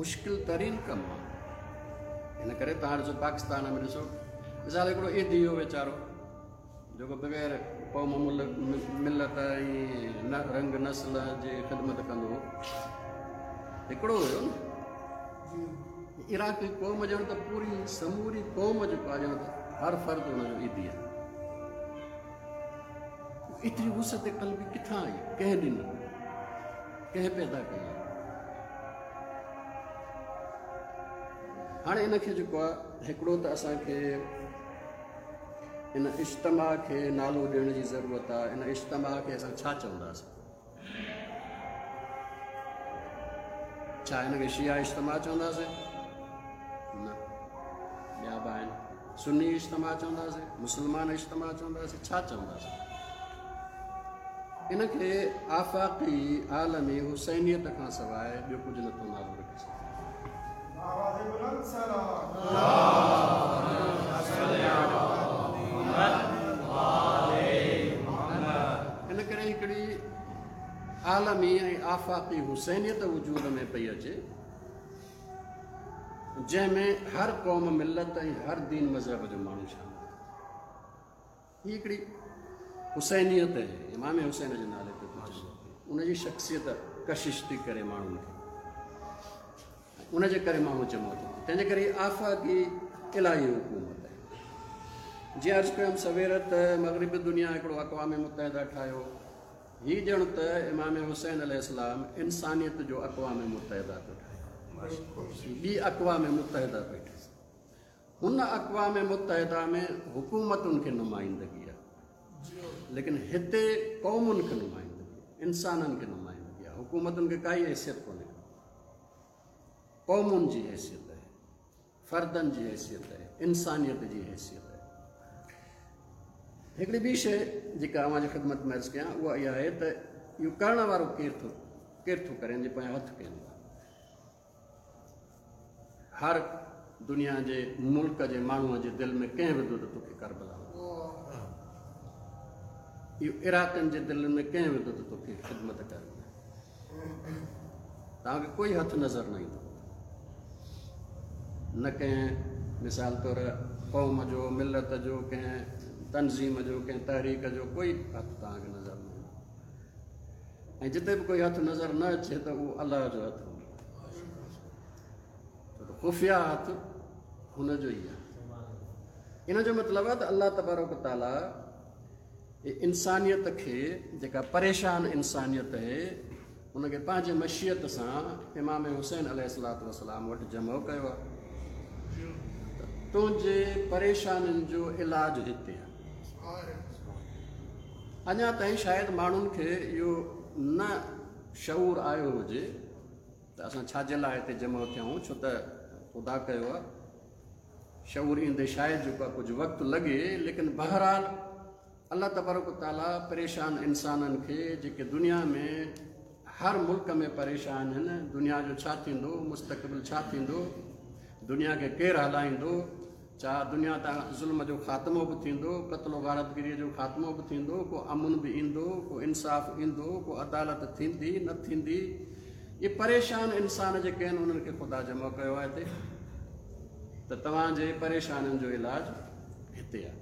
مشڪل ترين ڪم آهي. هن ڪري توهان ڏسو پاڪستان ۾ ڏسو، مثال هڪڙو ايڌي هو ويچارو جيڪو بغير قوم ملت ۽ رنگ نسل جي خدمت ڪندو هو، هڪڙو هيو نه. عراقي قوم ڄڻ ته پوري سموري قوم جيڪو آهي ڄڻ ته هر فرد هن جو ايڌي آهي. ايتري وسعت قلبي ڪٿان آئي؟ ڪنهن ڏني؟ ڪنهن پيدا ڪئي؟ هاڻي ان کي جيڪو آهي هڪڙو ته اسان کي ان اجتماع کي نالو ڏيڻ جي ضرورت آهي. ان اجتماع کي اسان ڇا چونداسين؟ ڇا هن کي شيعا اجتماع چونداسين؟ نه، ٻيا به آهن. سني اجتماع چونداسين، مسلمان اجتماع چونداسين، ڇا چونداسين؟ ان کي آفاقي عالمي حسينيت کان سواءِ ٻيو ڪجهه نٿو نالو رکي سگهي. ان ڪري هڪڙي عالمي ۽ آفاقي حسينيت وجود ۾ پئي اچي، جنهن ۾ هر قوم ملت ۽ هر دين مذهب جو ماڻهو شامل آهي. هيءَ هڪڙي حسينيت آهي، امام حسين جي نالي تي پهچي، ان جي شخصيت ڪشش ٿي ڪري ماڻهن کي، ان جي ڪري ماڻهو جمع ٿو. تنهن جي ڪري آفاقي الاهي حڪومت آهي. جيئن عرض ڪيم سوير ته مغربي دنيا هڪڙو اقوام متحده ٺاهيو، هيءَ ڄڻ ته امام حسين الارم انسانيت جو اقوام متحده پيو ٺاهي، ٻي اقوام متحده پئي ٺاهي. هن اقوام متحده ۾ حڪومتن کي نمائندگي آهي، ليڪن هتي قومن کي نمائندگي، انسانن کي نمائندگي آهي. حڪومتن کي ڪائي حيثيت ڪونهي، قومن جي حيثيت آهي، فردن جي حيثيت آهي، انسانيت جي حيثيت آهي. هڪڙي ٻي شيءِ جيڪا اوهان جي خدمت ۾ عرض ڪيان اها اها آهي ته اهو ڪرڻ وارو ڪير ٿو ڪير ٿو ڪري، هن جي پويان هٿ ڪين. هر دنيا جي ملڪ جي ماڻهوءَ جي دل ۾ ڪنهن وڌو ته توکي ڪربلا، اهو عراقين جي دل ۾ ڪنهن وڌو ته توکي خدمت ڪرڻي. توهان کي ڪوئي هٿ نظر نه ايندو، نه ڪنهن مثال طور قوم جو، ملت جو، ڪنهن تنظيم جو، ڪنهن تحريڪ جو ڪوئي هٿ توهان کي نظر نه ايندو. ۽ جتي به ڪوئي هٿ نظر نه اچي ته اهو الله جو هٿ هوندو، خفيه هٿ هن جو ئي آهي. ان جو مطلب آهي ته الله تبارڪ تعاليٰ انسانيت کي، جيڪا پريشان انسانيت آهي، هن کي پنهنجي مشيت سان امام حسين الارم وٽ جمع ڪيو آهي. تنهنجي پريشانين جو علاج هتي آهي. اڃا تائين شايد ماڻهن کي اهو نه شعور آيو هجي ته اسان ڇا جي لاءِ هتي جمع ٿيا آهيون، ڇو ته خدا ڪيو آهي شعور ايندي شايد جيڪو آهي ڪجهه وقت لڳي، ليڪن بهرحال الله تبارڪ تعاليٰ پريشان انسانن کي جيڪي دنيا ۾ هر ملڪ ۾ پريشان آهن، دنيا جو ڇا ٿيندو، مستقبل ڇا ٿيندو، دنيا کي ڪير هلائيندو، ڇا دنيا تان ظلم جو خاتمو به ٿيندو، قتل غارتگيريءَ جو خاتمو به ٿيندو، ڪو امن به ايندو، ڪو انصاف ايندو، ڪو عدالت ٿيندي نه ٿيندي. اهي پريشان انسان جيڪي آهن انهن کي خدا جمع ڪيو آهي هتي ته توهان جي پريشانين جو علاج هتي آهي.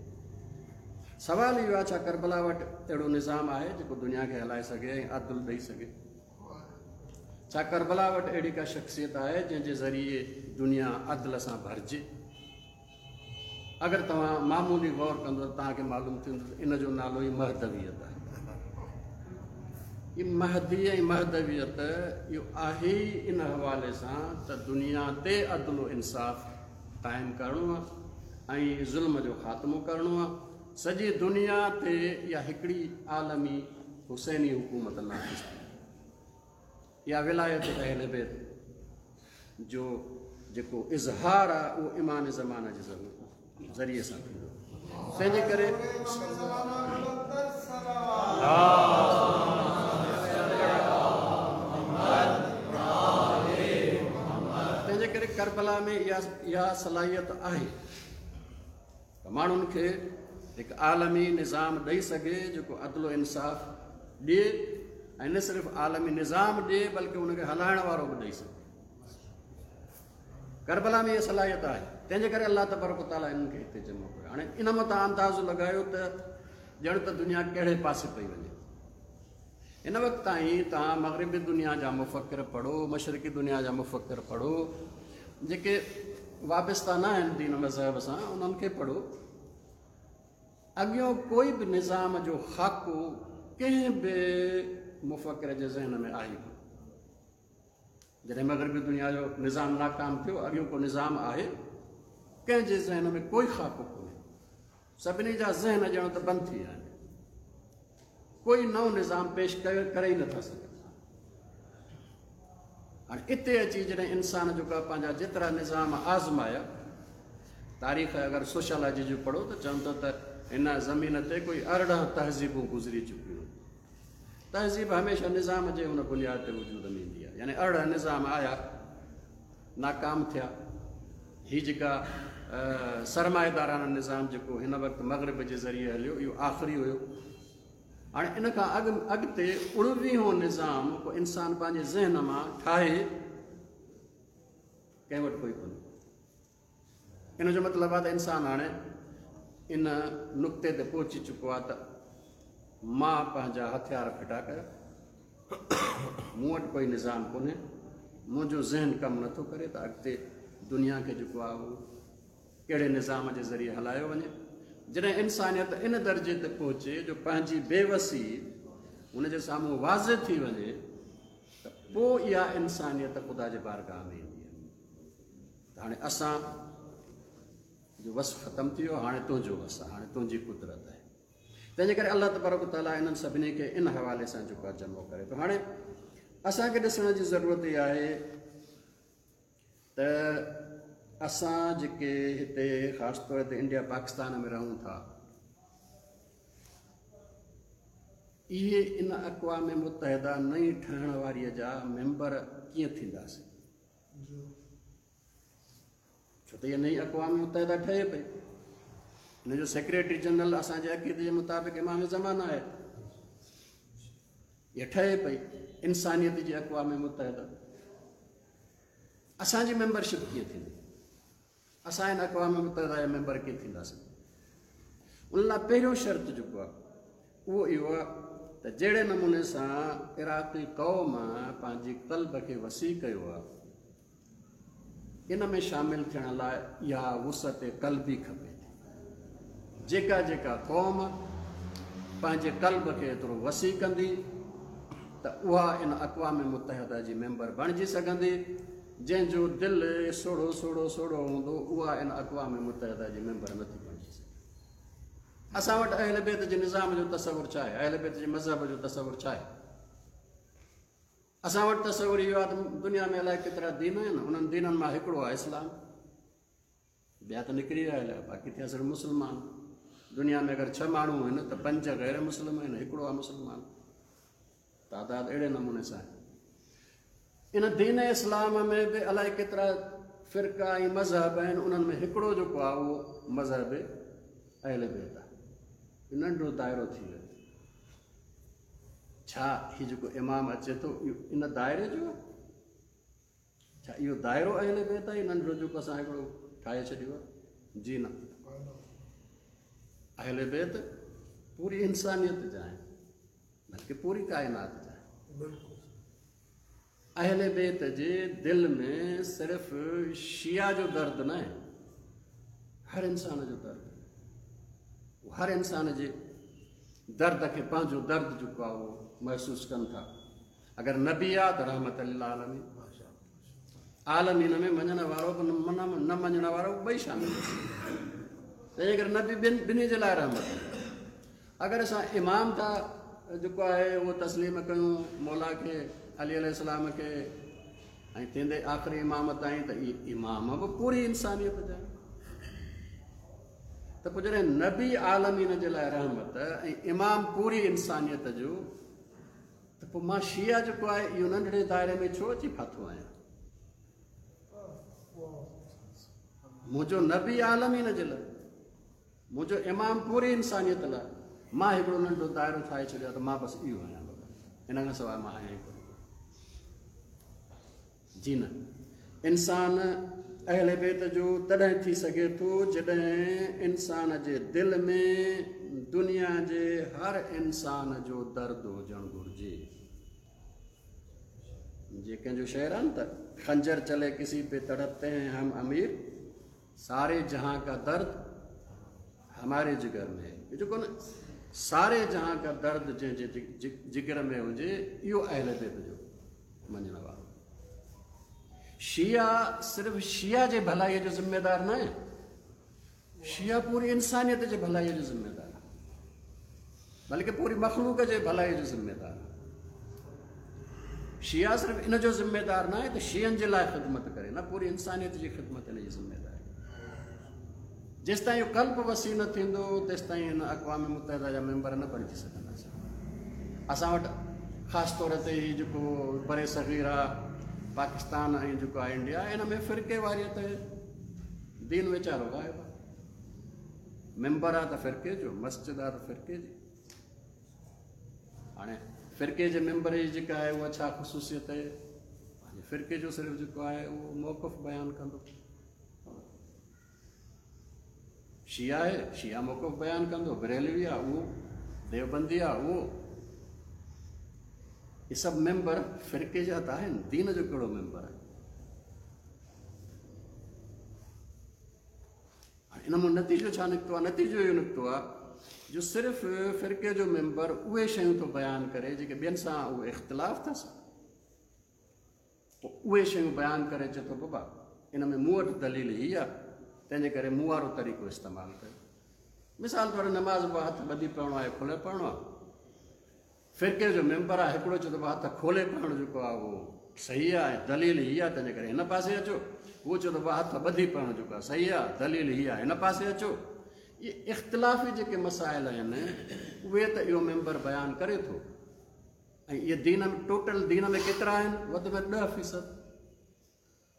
سوال اهو آهي ڇا ڪربلا وٽ اهڙو نظام آهي جيڪو دنيا کي هلائي سگهي ۽ عدل ڏيئي سگهي؟ ڇا ڪربلا وٽ اهڙي ڪا شخصيت آهي جنهن جي ذريعي دنيا عدل سان ڀرجي؟ اگر توهان معمولي غور ڪندو ته توهان کي معلوم ٿيندو ته ان جو نالو ئي مهدويت آهي. مهدي ऐं महदवियत इहो आहे इन हवाले सां त दुनिया ते अदल इंसाफ़ क़ाइमु करिणो आहे ऐं ज़ुल्म जो ख़ात्मो करिणो आहे। सॼी दुनिया ते इहा हिकिड़ी आलमी हुसैनी हुकूमत नाफ़िज़ थी। इहा विलायत अहल बैत जो जेको इज़हार आहे उहो इमाम ज़माना जे ज़रिए सां थींदो। तंहिंजे करे तंहिंजे करे करबला में इहा इहा सलाहियत आहे त माण्हुनि खे हिकु आलमी निज़ाम ॾेई सघे जेको अदलो इंसाफ़ ॾिए ऐं न सिर्फ़ु आलमी निज़ाम ॾिए बल्कि उनखे हलाइण वारो बि ॾेई सघे। करबला में इहा सलाहियत आहे, तंहिंजे करे अलाह तबारक तआला इन्हनि खे हिते जमो कयो। हाणे इन मां तव्हां अंदाज़ो लॻायो त ॼण त दुनिया कहिड़े पासे पई वञे। हिन वक़्त ताईं तव्हां मग़रिबी दुनिया जा मुफ़क्र पढ़ो, मशरिकी दुनिया जा मुफ़क्र पढ़ो, जेके वाबिस्ता न आहिनि दीन मज़हब सां उन्हनि खे पढ़ो। अॻियों कोई बि निज़ाम जो ख़ाको कंहिं बि मुफ़क्र जे ज़हन में आहे कोन। जॾहिं मग़रिबी दुनिया जो निज़ाम नाकाम थियो, अॻियों को निज़ाम आहे कंहिंजे ज़हन में कोई ख़ाको कोन्हे, सभिनी जा ज़हन ॼण त बंदि थी विया आहिनि, कोई नओं निज़ाम पेश करे करे ई नथा सघनि। हाणे हिते अची जॾहिं इंसान जेको आहे पंहिंजा जेतिरा निज़ाम आज़माया, तारीख़ अगरि सोशलॉजी जो पढ़ो त चवनि था त हिन ज़मीन ते कोई अरिड़हं तहज़ीबूं गुज़री चुकियूं। तहज़ीब हमेशह निज़ाम जे हुन बुनियाद ते वजूद में ईंदी आहे, यानी अरिड़हं निज़ाम आया, नाकाम थिया। हीअ जेका सरमाएदाराना निज़ाम जेको हिन वक़्तु मग़रिब जे ज़रिए हलियो, इहो आख़िरी हुयो। हाणे इन खां अॻु अॻिते उणिवीहों निज़ाम को इंसान पंहिंजे ज़हन मां ठाहे कंहिं वटि कोई कोन्हे। इन जो मतिलबु आहे त इंसान हाणे इन नुक़्ते ते पहुची चुको आहे त मां पंहिंजा हथियार फिटा कया, मूं वटि कोई निज़ाम कोन्हे, मुंहिंजो ज़हन कमु नथो करे त अॻिते दुनिया खे जेको आहे उहो कहिड़े निज़ाम जे ज़रिए हलायो वञे। जॾहिं इंसानियत इन दर्जे ते पहुचे जो पंहिंजी बेवसी हुनजे साम्हूं वाज़े थी वञे त पोइ इहा इंसानियत ख़ुदा जे बारगाह में ईंदी आहे। त हाणे असां जो वस ख़तमु थी वियो, हाणे तुंहिंजो वसु आहे, हाणे तुंहिंजी कुदरत आहे। तंहिंजे करे अलाह तबारक तआला इन्हनि सभिनी खे इन हवाले सां जेको आहे जमो करे थो। हाणे असांखे ॾिसण जी ज़रूरत इहा आहे त असां जेके हिते ख़ासि तौर ते इंडिया पाकिस्तान में रहूं था, इहे इन अक़वाम मुत्तहिदा नई ठहण वारीअ जा मेंबर कीअं थींदासीं? छो त इहा नई अक़वाम मुत्तहिदा ठहे पई, हिन जो सेक्रेटरी जनरल असांजे अक़ीदे जे मुताबिक़ इमाम ज़माना आहे, इहा ठहे पई इंसानियत जी अक़वाम मुत्तहिदा। असांजी मेंबरशिप कीअं थींदी? असां हिन अक़वाम मुत्तहिदा जा मेंबर कीअं थींदासीं? उन लाइ पहिरियों शर्त जेको आहे उहो इहो आहे त जहिड़े नमूने सां इराक़ी क़ौम पंहिंजी क़ल्ब खे वसी कयो आहे, इन में शामिल थियण लाइ इहा वुसअत क़ल्बी खपे थी। जेका जेका क़ौम पंहिंजे क़ल्ब खे एतिरो वसी कंदी त उहा इन अक़वाम मुत्तहिदा जी मेंबर बणिजी सघंदी। जंहिंजो दिलि सोड़ो सोड़ो सोड़ो हूंदो उहा इन अक़वाम मुत्तहिदा जी मेंबर नथी बणिजी सघे। असां वटि अहल बैत जे निज़ाम जो तसवुर छा आहे? अहल बैत जे मज़हब जो तसवुर छा आहे? असां वटि तसवुर इहो आहे त दुनिया में अलाए केतिरा दीन आहिनि, उन्हनि दीननि मां हिकिड़ो आहे इस्लाम, ॿिया त निकिरी विया हलिया, बाक़ी थिया सिर्फ़ु मुस्लमान। दुनिया में अगरि छह माण्हू आहिनि त पंज ग़ैर मुस्लिम आहिनि, हिकिड़ो आहे मुस्लमान। तादाद अहिड़े नमूने सां आहे। इन दीन इस्लाम में बि अलाए केतिरा फ़िरका ऐं मज़हब आहिनि, उन्हनि में हिकिड़ो जेको आहे उहो मज़हब अहल बैत आहे। नंढो दाइरो थी वियो। छा हीउ जेको इमाम अचे थो इहो इन दाइरे जो आहे? छा इहो दाइरो अहल बैत आहे? नंढो जेको असां हिकिड़ो ठाहे छॾियो आहे? जी न, अहल बैत पूरी इंसानियत जा आहिनि, बल्कि पूरी काइनात जा आहिनि। अहल बैत जे दिलि में सिर्फ़ु शिया जो दर्द न आहे, हर इंसान जो दर्द। हर इंसान जे दर्द खे पंहिंजो दर्द जेको आहे उहो महसूसु कनि था। अगरि नबी आहे त रहमत लिल आलमीन, आलमीन में मञण वारो बि न मञण वारो ॿई शामिल। तंहिंजे करे नबी ॿिनि ॿिन्ही जे लाइ रहमत। अगरि असां इमाम था जेको आहे उहो तस्लीम कयूं मौला खे, अली अलैहिस्सलाम खे, ऐं थींदे आख़िरी इमाम ताईं, त इहे इमाम बि पूरी इंसानियत जा। त पोइ जॾहिं नबी आलमीन जे लाइ रहमत ऐं इमाम पूरी इंसानियत जो, त पोइ मां शिया जेको आहे इहो नंढड़े दायरे में छो अची फाथो आहियां? मुंहिंजो नबी आलमीन जे लाइ, मुंहिंजो इमाम पूरी इंसानियत लाइ, मां हिकिड़ो नंढो दायरो ठाहे छॾियो आहे त मां बसि इहो आहियां, इन खां सवाइ मां आहियां ई कोन। जी न, इंसान अहले बैत जो तॾहिं थी सघे थो जॾहिं इंसान जे दिलि में दुनिया जे हर इंसान जो दर्द हुजणु घुरिजे। जे कंहिंजो शेर आहे न त खंजर चले किसी पे तड़पते हैं हम अमीर, सारे जहां का दर्द हमारे जिगर में है। जेको न सारे जहां का दर्द जंहिंजे जिगर में हुजे, इहो अहले बैत जो मञण वारो। शिया सिर्फ़ शिया जे भलाईअ जो ज़िम्मेदार न आहे, शिया पूरी इंसानियत जे भलाईअ जो ज़िम्मेदार आहे, बल्कि पूरी मख़लूक जे भलाईअ जो ज़िम्मेदार आहे। शिया सिर्फ़ इन जो ज़िम्मेदार न आहे त शियनि जे लाइ ख़िदमत करे, न, पूरी इंसानियत जी ख़िदमत इन जी ज़िम्मेदारी। जेसि ताईं इहो कल्प वसी न थींदो तेसि ताईं हिन अक़वाम मुत्तहिदा जा मेंबर न बणिजी सघंदासीं। असां वटि ख़ासि तौर ते हीउ जेको बरे सग़ीर आहे पाकिस्तान ऐं जेको आहे इंडिया, इन में फ़िरके वारियत दीन वीचारो ग़ाइब आहे। मेंबर आहे त फ़िरके जो, मस्जिद आहे त फ़िरके जी। हाणे फ़िरके जे मेंबर जी जेका आहे उहा छा ख़ुसूसियत आहे? पंहिंजे फ़िरके जो सिर्फ़ु जेको आहे उहो मौक़िफ़ बयानु कंदो। शिया आहे, शिया मौक़िफ़ बयानु कंदो, बरेलवी आहे उहो, देवबंदी आहे उहो। इहे सभु मेंबर फ़िरके जा त आहिनि, दीन जो कहिड़ो मेंबर आहे? हाणे इन मां नतीजो छा निकितो आहे? नतीजो इहो निकितो आहे जो सिर्फ़ु फ़िरके जो मेंबर उहे शयूं थो बयानु करे जेके ॿियनि सां उहो इख़्तिलाफ़ अथसि, पोइ उहे शयूं बयानु करे चए थो बाबा इन में मूं वटि दलील हीअ आहे, तंहिंजे करे मूं वारो तरीक़ो इस्तेमालु कयो। मिसाल तौरु नमाज़ बि हथु ॿधी पढ़णो आहे, खोले पढ़णो आहे। फ़िरके जो मेंबर आहे हिकिड़ो चए थो हथु खोले पढ़णु जेको आहे उहो सही आहे, दलील हीअ आहे, तंहिंजे करे हिन पासे अचो। उहो चए थो हथु ॿधी पढ़णु जेको आहे सही आहे, दलील हीअ आहे, हिन पासे अचो। इहे इख़्तिलाफ़ी जेके मसाइल आहिनि उहे त इहो मेंबर बयानु करे थो। ऐं इहे दीन में टोटल दीन में केतिरा आहिनि? वधि में ॾह फ़ीसद,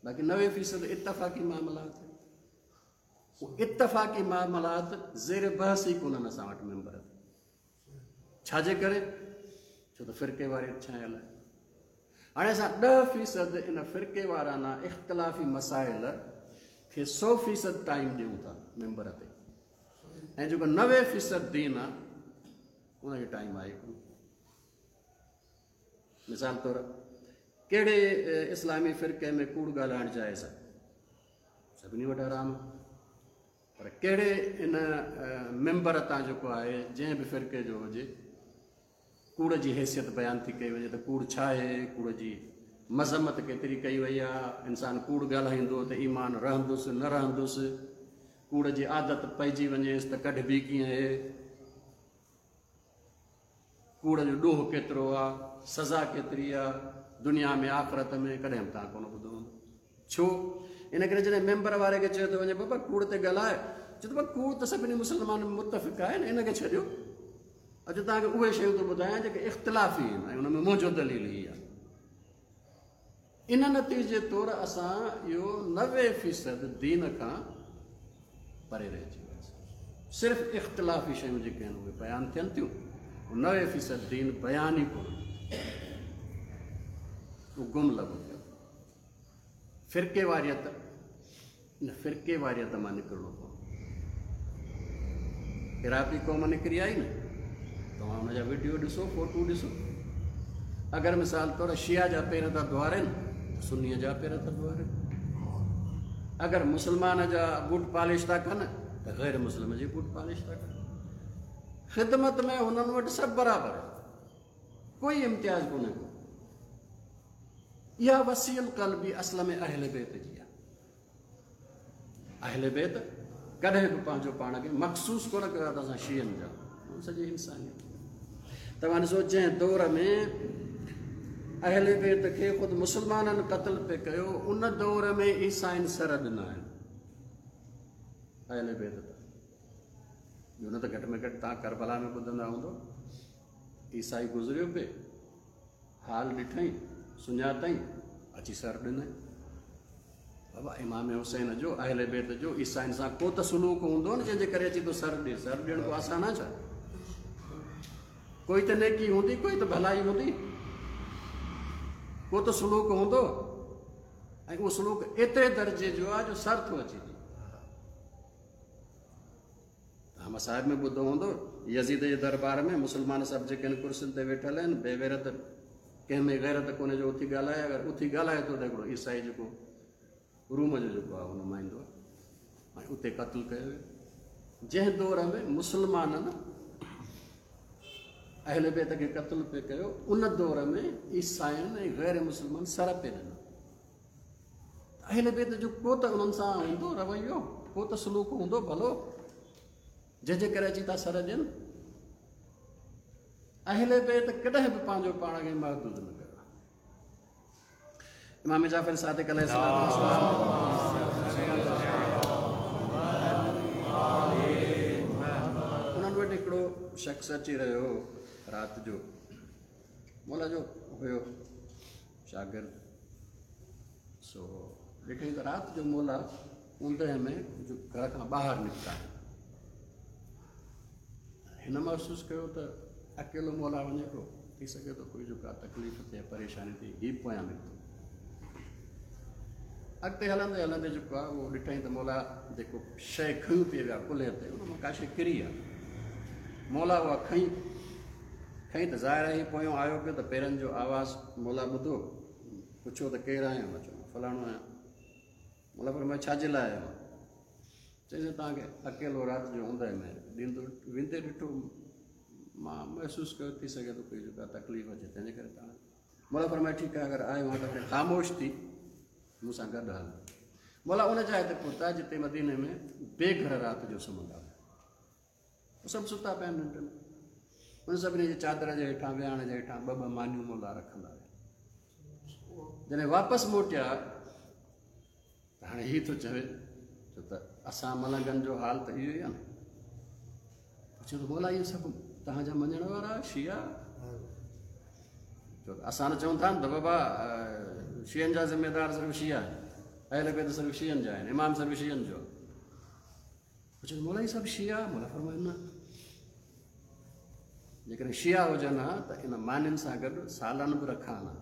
बाक़ी नवे फ़ीसद इतफ़ाक़ी मामलात। इतफ़ाक़ी मामलात ज़ेर बहस ई कोन्हनि असां वटि मेंबर। छाजे करे? छो त फ़िरके वारी छायल आहे। हाणे असां ॾह फ़ीसद इन फ़िरके वाराना इख़्तिलाफ़ी मसाइल खे सौ फ़ीसद टाइम ॾियूं था मेंबर ते, ऐं जेको नवे फ़ीसद दीन आहे उनजो टाइम आहे कोन। मिसाल तौरु कहिड़े इस्लामी फ़िरके में कूड़ ॻाल्हाइणु जाइज़ आहे? सभिनी वटि हराम। पर कहिड़े इन मेंबर तां जेको आहे जंहिं बि फ़िरके जो हुजे कूड़ जी हैसियत बयानु थी कई वञे त कूड़ छा आहे, कूड़ जी मज़म्मत केतिरी कई वई आहे, इंसानु कूड़ ॻाल्हाईंदो त ईमान रहंदुसि न रहंदुसि, कूड़ जी आदत पइजी वञेसि त कढिबी कीअं आहे, कूड़ जो ॾोह केतिरो आहे, सज़ा केतिरी आहे दुनिया में आख़िरत में, कॾहिं बि तव्हां कोन ॿुधो हूंदो। छो? इन करे जॾहिं मेंबर वारे खे चयो थो वञे बाबा कूड़ ते ॻाल्हाए, चए थो कूड़ त सभिनी मुसलमान मुतफ़िक़ आहे न, इन खे छॾियो, अॼु तव्हांखे उहे शयूं थो ॿुधायां जेके इख़्तिलाफ़ी आहिनि ऐं हुन में मुंहिंजो दलील हीअ आहे। इन नतीजे तौरु असां इहो नवे फ़ीसद दीन खां परे रहिजी वियासीं। सिर्फ़ु इख़्तिलाफ़ी शयूं जेके आहिनि उहे बयानु थियनि थियूं, नवे फ़ीसद दीन बयानु ई कोन, उहो गुम लॻो पियो। फ़िरके वारियत, इन फ़िरके वारियत मां निकिरणो पवंदो। इराक़ी क़ौम निकिरी आई न, तव्हां हुनजा वीडियो ॾिसो, फोटो ॾिसो। अगरि मिसाल तौरु शिया जा पेर था दुआरनि त सुन्नीअ जा पेर था दुआरनि, अगरि मुसलमान जा बूट पॉलिश था कनि त ग़ैर मुस्लिम जी बूट पॉलिश था कनि। ख़िदमत में हुननि वटि सभु बराबरि आहे। कोई इम्तियाज़ कोन्हे को। इहा वसीअल क़ल्बी असल में अहले बैत जी आहे। अहले बैत कॾहिं बि पंहिंजो पाण खे मख़सूस कोन कयो आहे त असां शियनि जा, सॼी इंसानियत। तव्हां ॾिसो जंहिं दौर में अहले बैत खे ख़ुदि मुस्लमाननि क़तल पे कयो, उन दौर में ईसाइनि सर ॾिना आहिनि अहले बैत ते। ॿियो न त घटि में घटि तव्हां करबला में ॿुधंदा हूंदो, ईसाई गुज़रियो पे, हाल ॾिठई, सुञातई, अची सर ॾिनई। बाबा इमाम हुसैन जो अहले बैत जो ईसाइनि सां को त सुलूक हूंदो न जंहिंजे करे अची थो सर ॾिए। सर ॾियणु को आसानु आहे छा? कोई त नेकी हूंदी, कोई त भलाई हूंदी, को त सुलूक हूंदो। ऐं उहो सुलूक एतिरे दर्जे जो आहे जो सर थो अची ॾिए। तव्हां मसाहिब में ॿुधो हूंदो, यज़ीद जे दरबार में मुस्लमान सभु जेके आहिनि कुर्सियुनि ते वेठल आहिनि, बेगैरत, कंहिं में गैरत कोन्हे जो उथी ॻाल्हाए। अगरि उथी ॻाल्हाए थो त हिकिड़ो ईसाई जेको रूम जो जेको आहे उहो नुमाइंदो आहे, ऐं उते क़तलु कयो वियो। जंहिं दौर में मुस्लमाननि अहले बैत खे क़तलु पे कयो, उन दौर में ईसाइनि ऐं गैर मुस्लमान सर पे ॾिना। अहले बैत जो को त उन्हनि सां हूंदो रवैयो, को त सुलूक हूंदो भलो, जंहिंजे करे अची था सर ॾियनि। अहले बैत कॾहिं बि पंहिंजो पाण खे महदूद न कयो। इमाम जाफ़र सादिक़ अलैहिस्सलाम उन्हनि वटि हिकिड़ो शख़्स अची रहियो हो राति जो, मौला जो हुयो शागिर्द। सो ॾिठई त राति जो मौला ऊंदह में जो घर खां ॿाहिरि निकिता आहिनि। हिन महसूसु कयो त अकेलो मौला वञे थो, थी सघे थो कोई जो का तकलीफ़ थिए, परेशानी थिए, हीअ पोयां निकितो। अॻिते हलंदे हलंदे जेको आहे उहो ॾिठई त मौला जेको शइ खयूं पई विया कुल्हे ते, उन मां का शइ किरी आहे। मौला उहा खई खई त ज़ाहिर आहे पोयों आयो पियो त पेरनि जो आवाज़ मौला ॿुधो, पुछियो त केरु आहियां? मां चयो फलाणो आहियां। मौला फरमायो छा जे लाइ आयो? चईंसि तव्हांखे अकेलो राति जो ऊंदह में ॾींदो वेंदे ॾिठो, मां महसूसु कयो थी सघे थो कोई जो का तकलीफ़ अचे, तंहिंजे करे तव्हां। मौला फरमायो ठीकु आहे, अगरि आयो आहियां त ख़ामोश थी मूंसां गॾु हल। मौला उन जाइ ते पहुता जिते मदीने में बेघर राति जो सुम्हंदा हुआ, सभु सुता पिया आहिनि नंढ में। उन सभिनी जे चादर जे हेठां विहाण जे हेठां ॿ ॿ मानियूं मौला रखंदा हुआ। जॾहिं वापसि मोटिया त हाणे हीअ थो चवे, छो त असां मलंगनि जो हाल त इहो ई आहे न। चयो त मौला इहे सभु तव्हांजा मञण वारा शिया, छो त असां त चऊं था न त बाबा शियनि जा ज़िम्मेदार सिर्फ़ु शिया आहिनि, अहले बैत सिर्फ़ु शियनि जा आहिनि, इमाम सिर्फ़ु शियनि जो। चयो मौला इहे सभु शिया? मौला फरमायो न, जेकॾहिं शिया हुजनि हा त इन मानियुनि सां गॾु सालन बि रखां हा,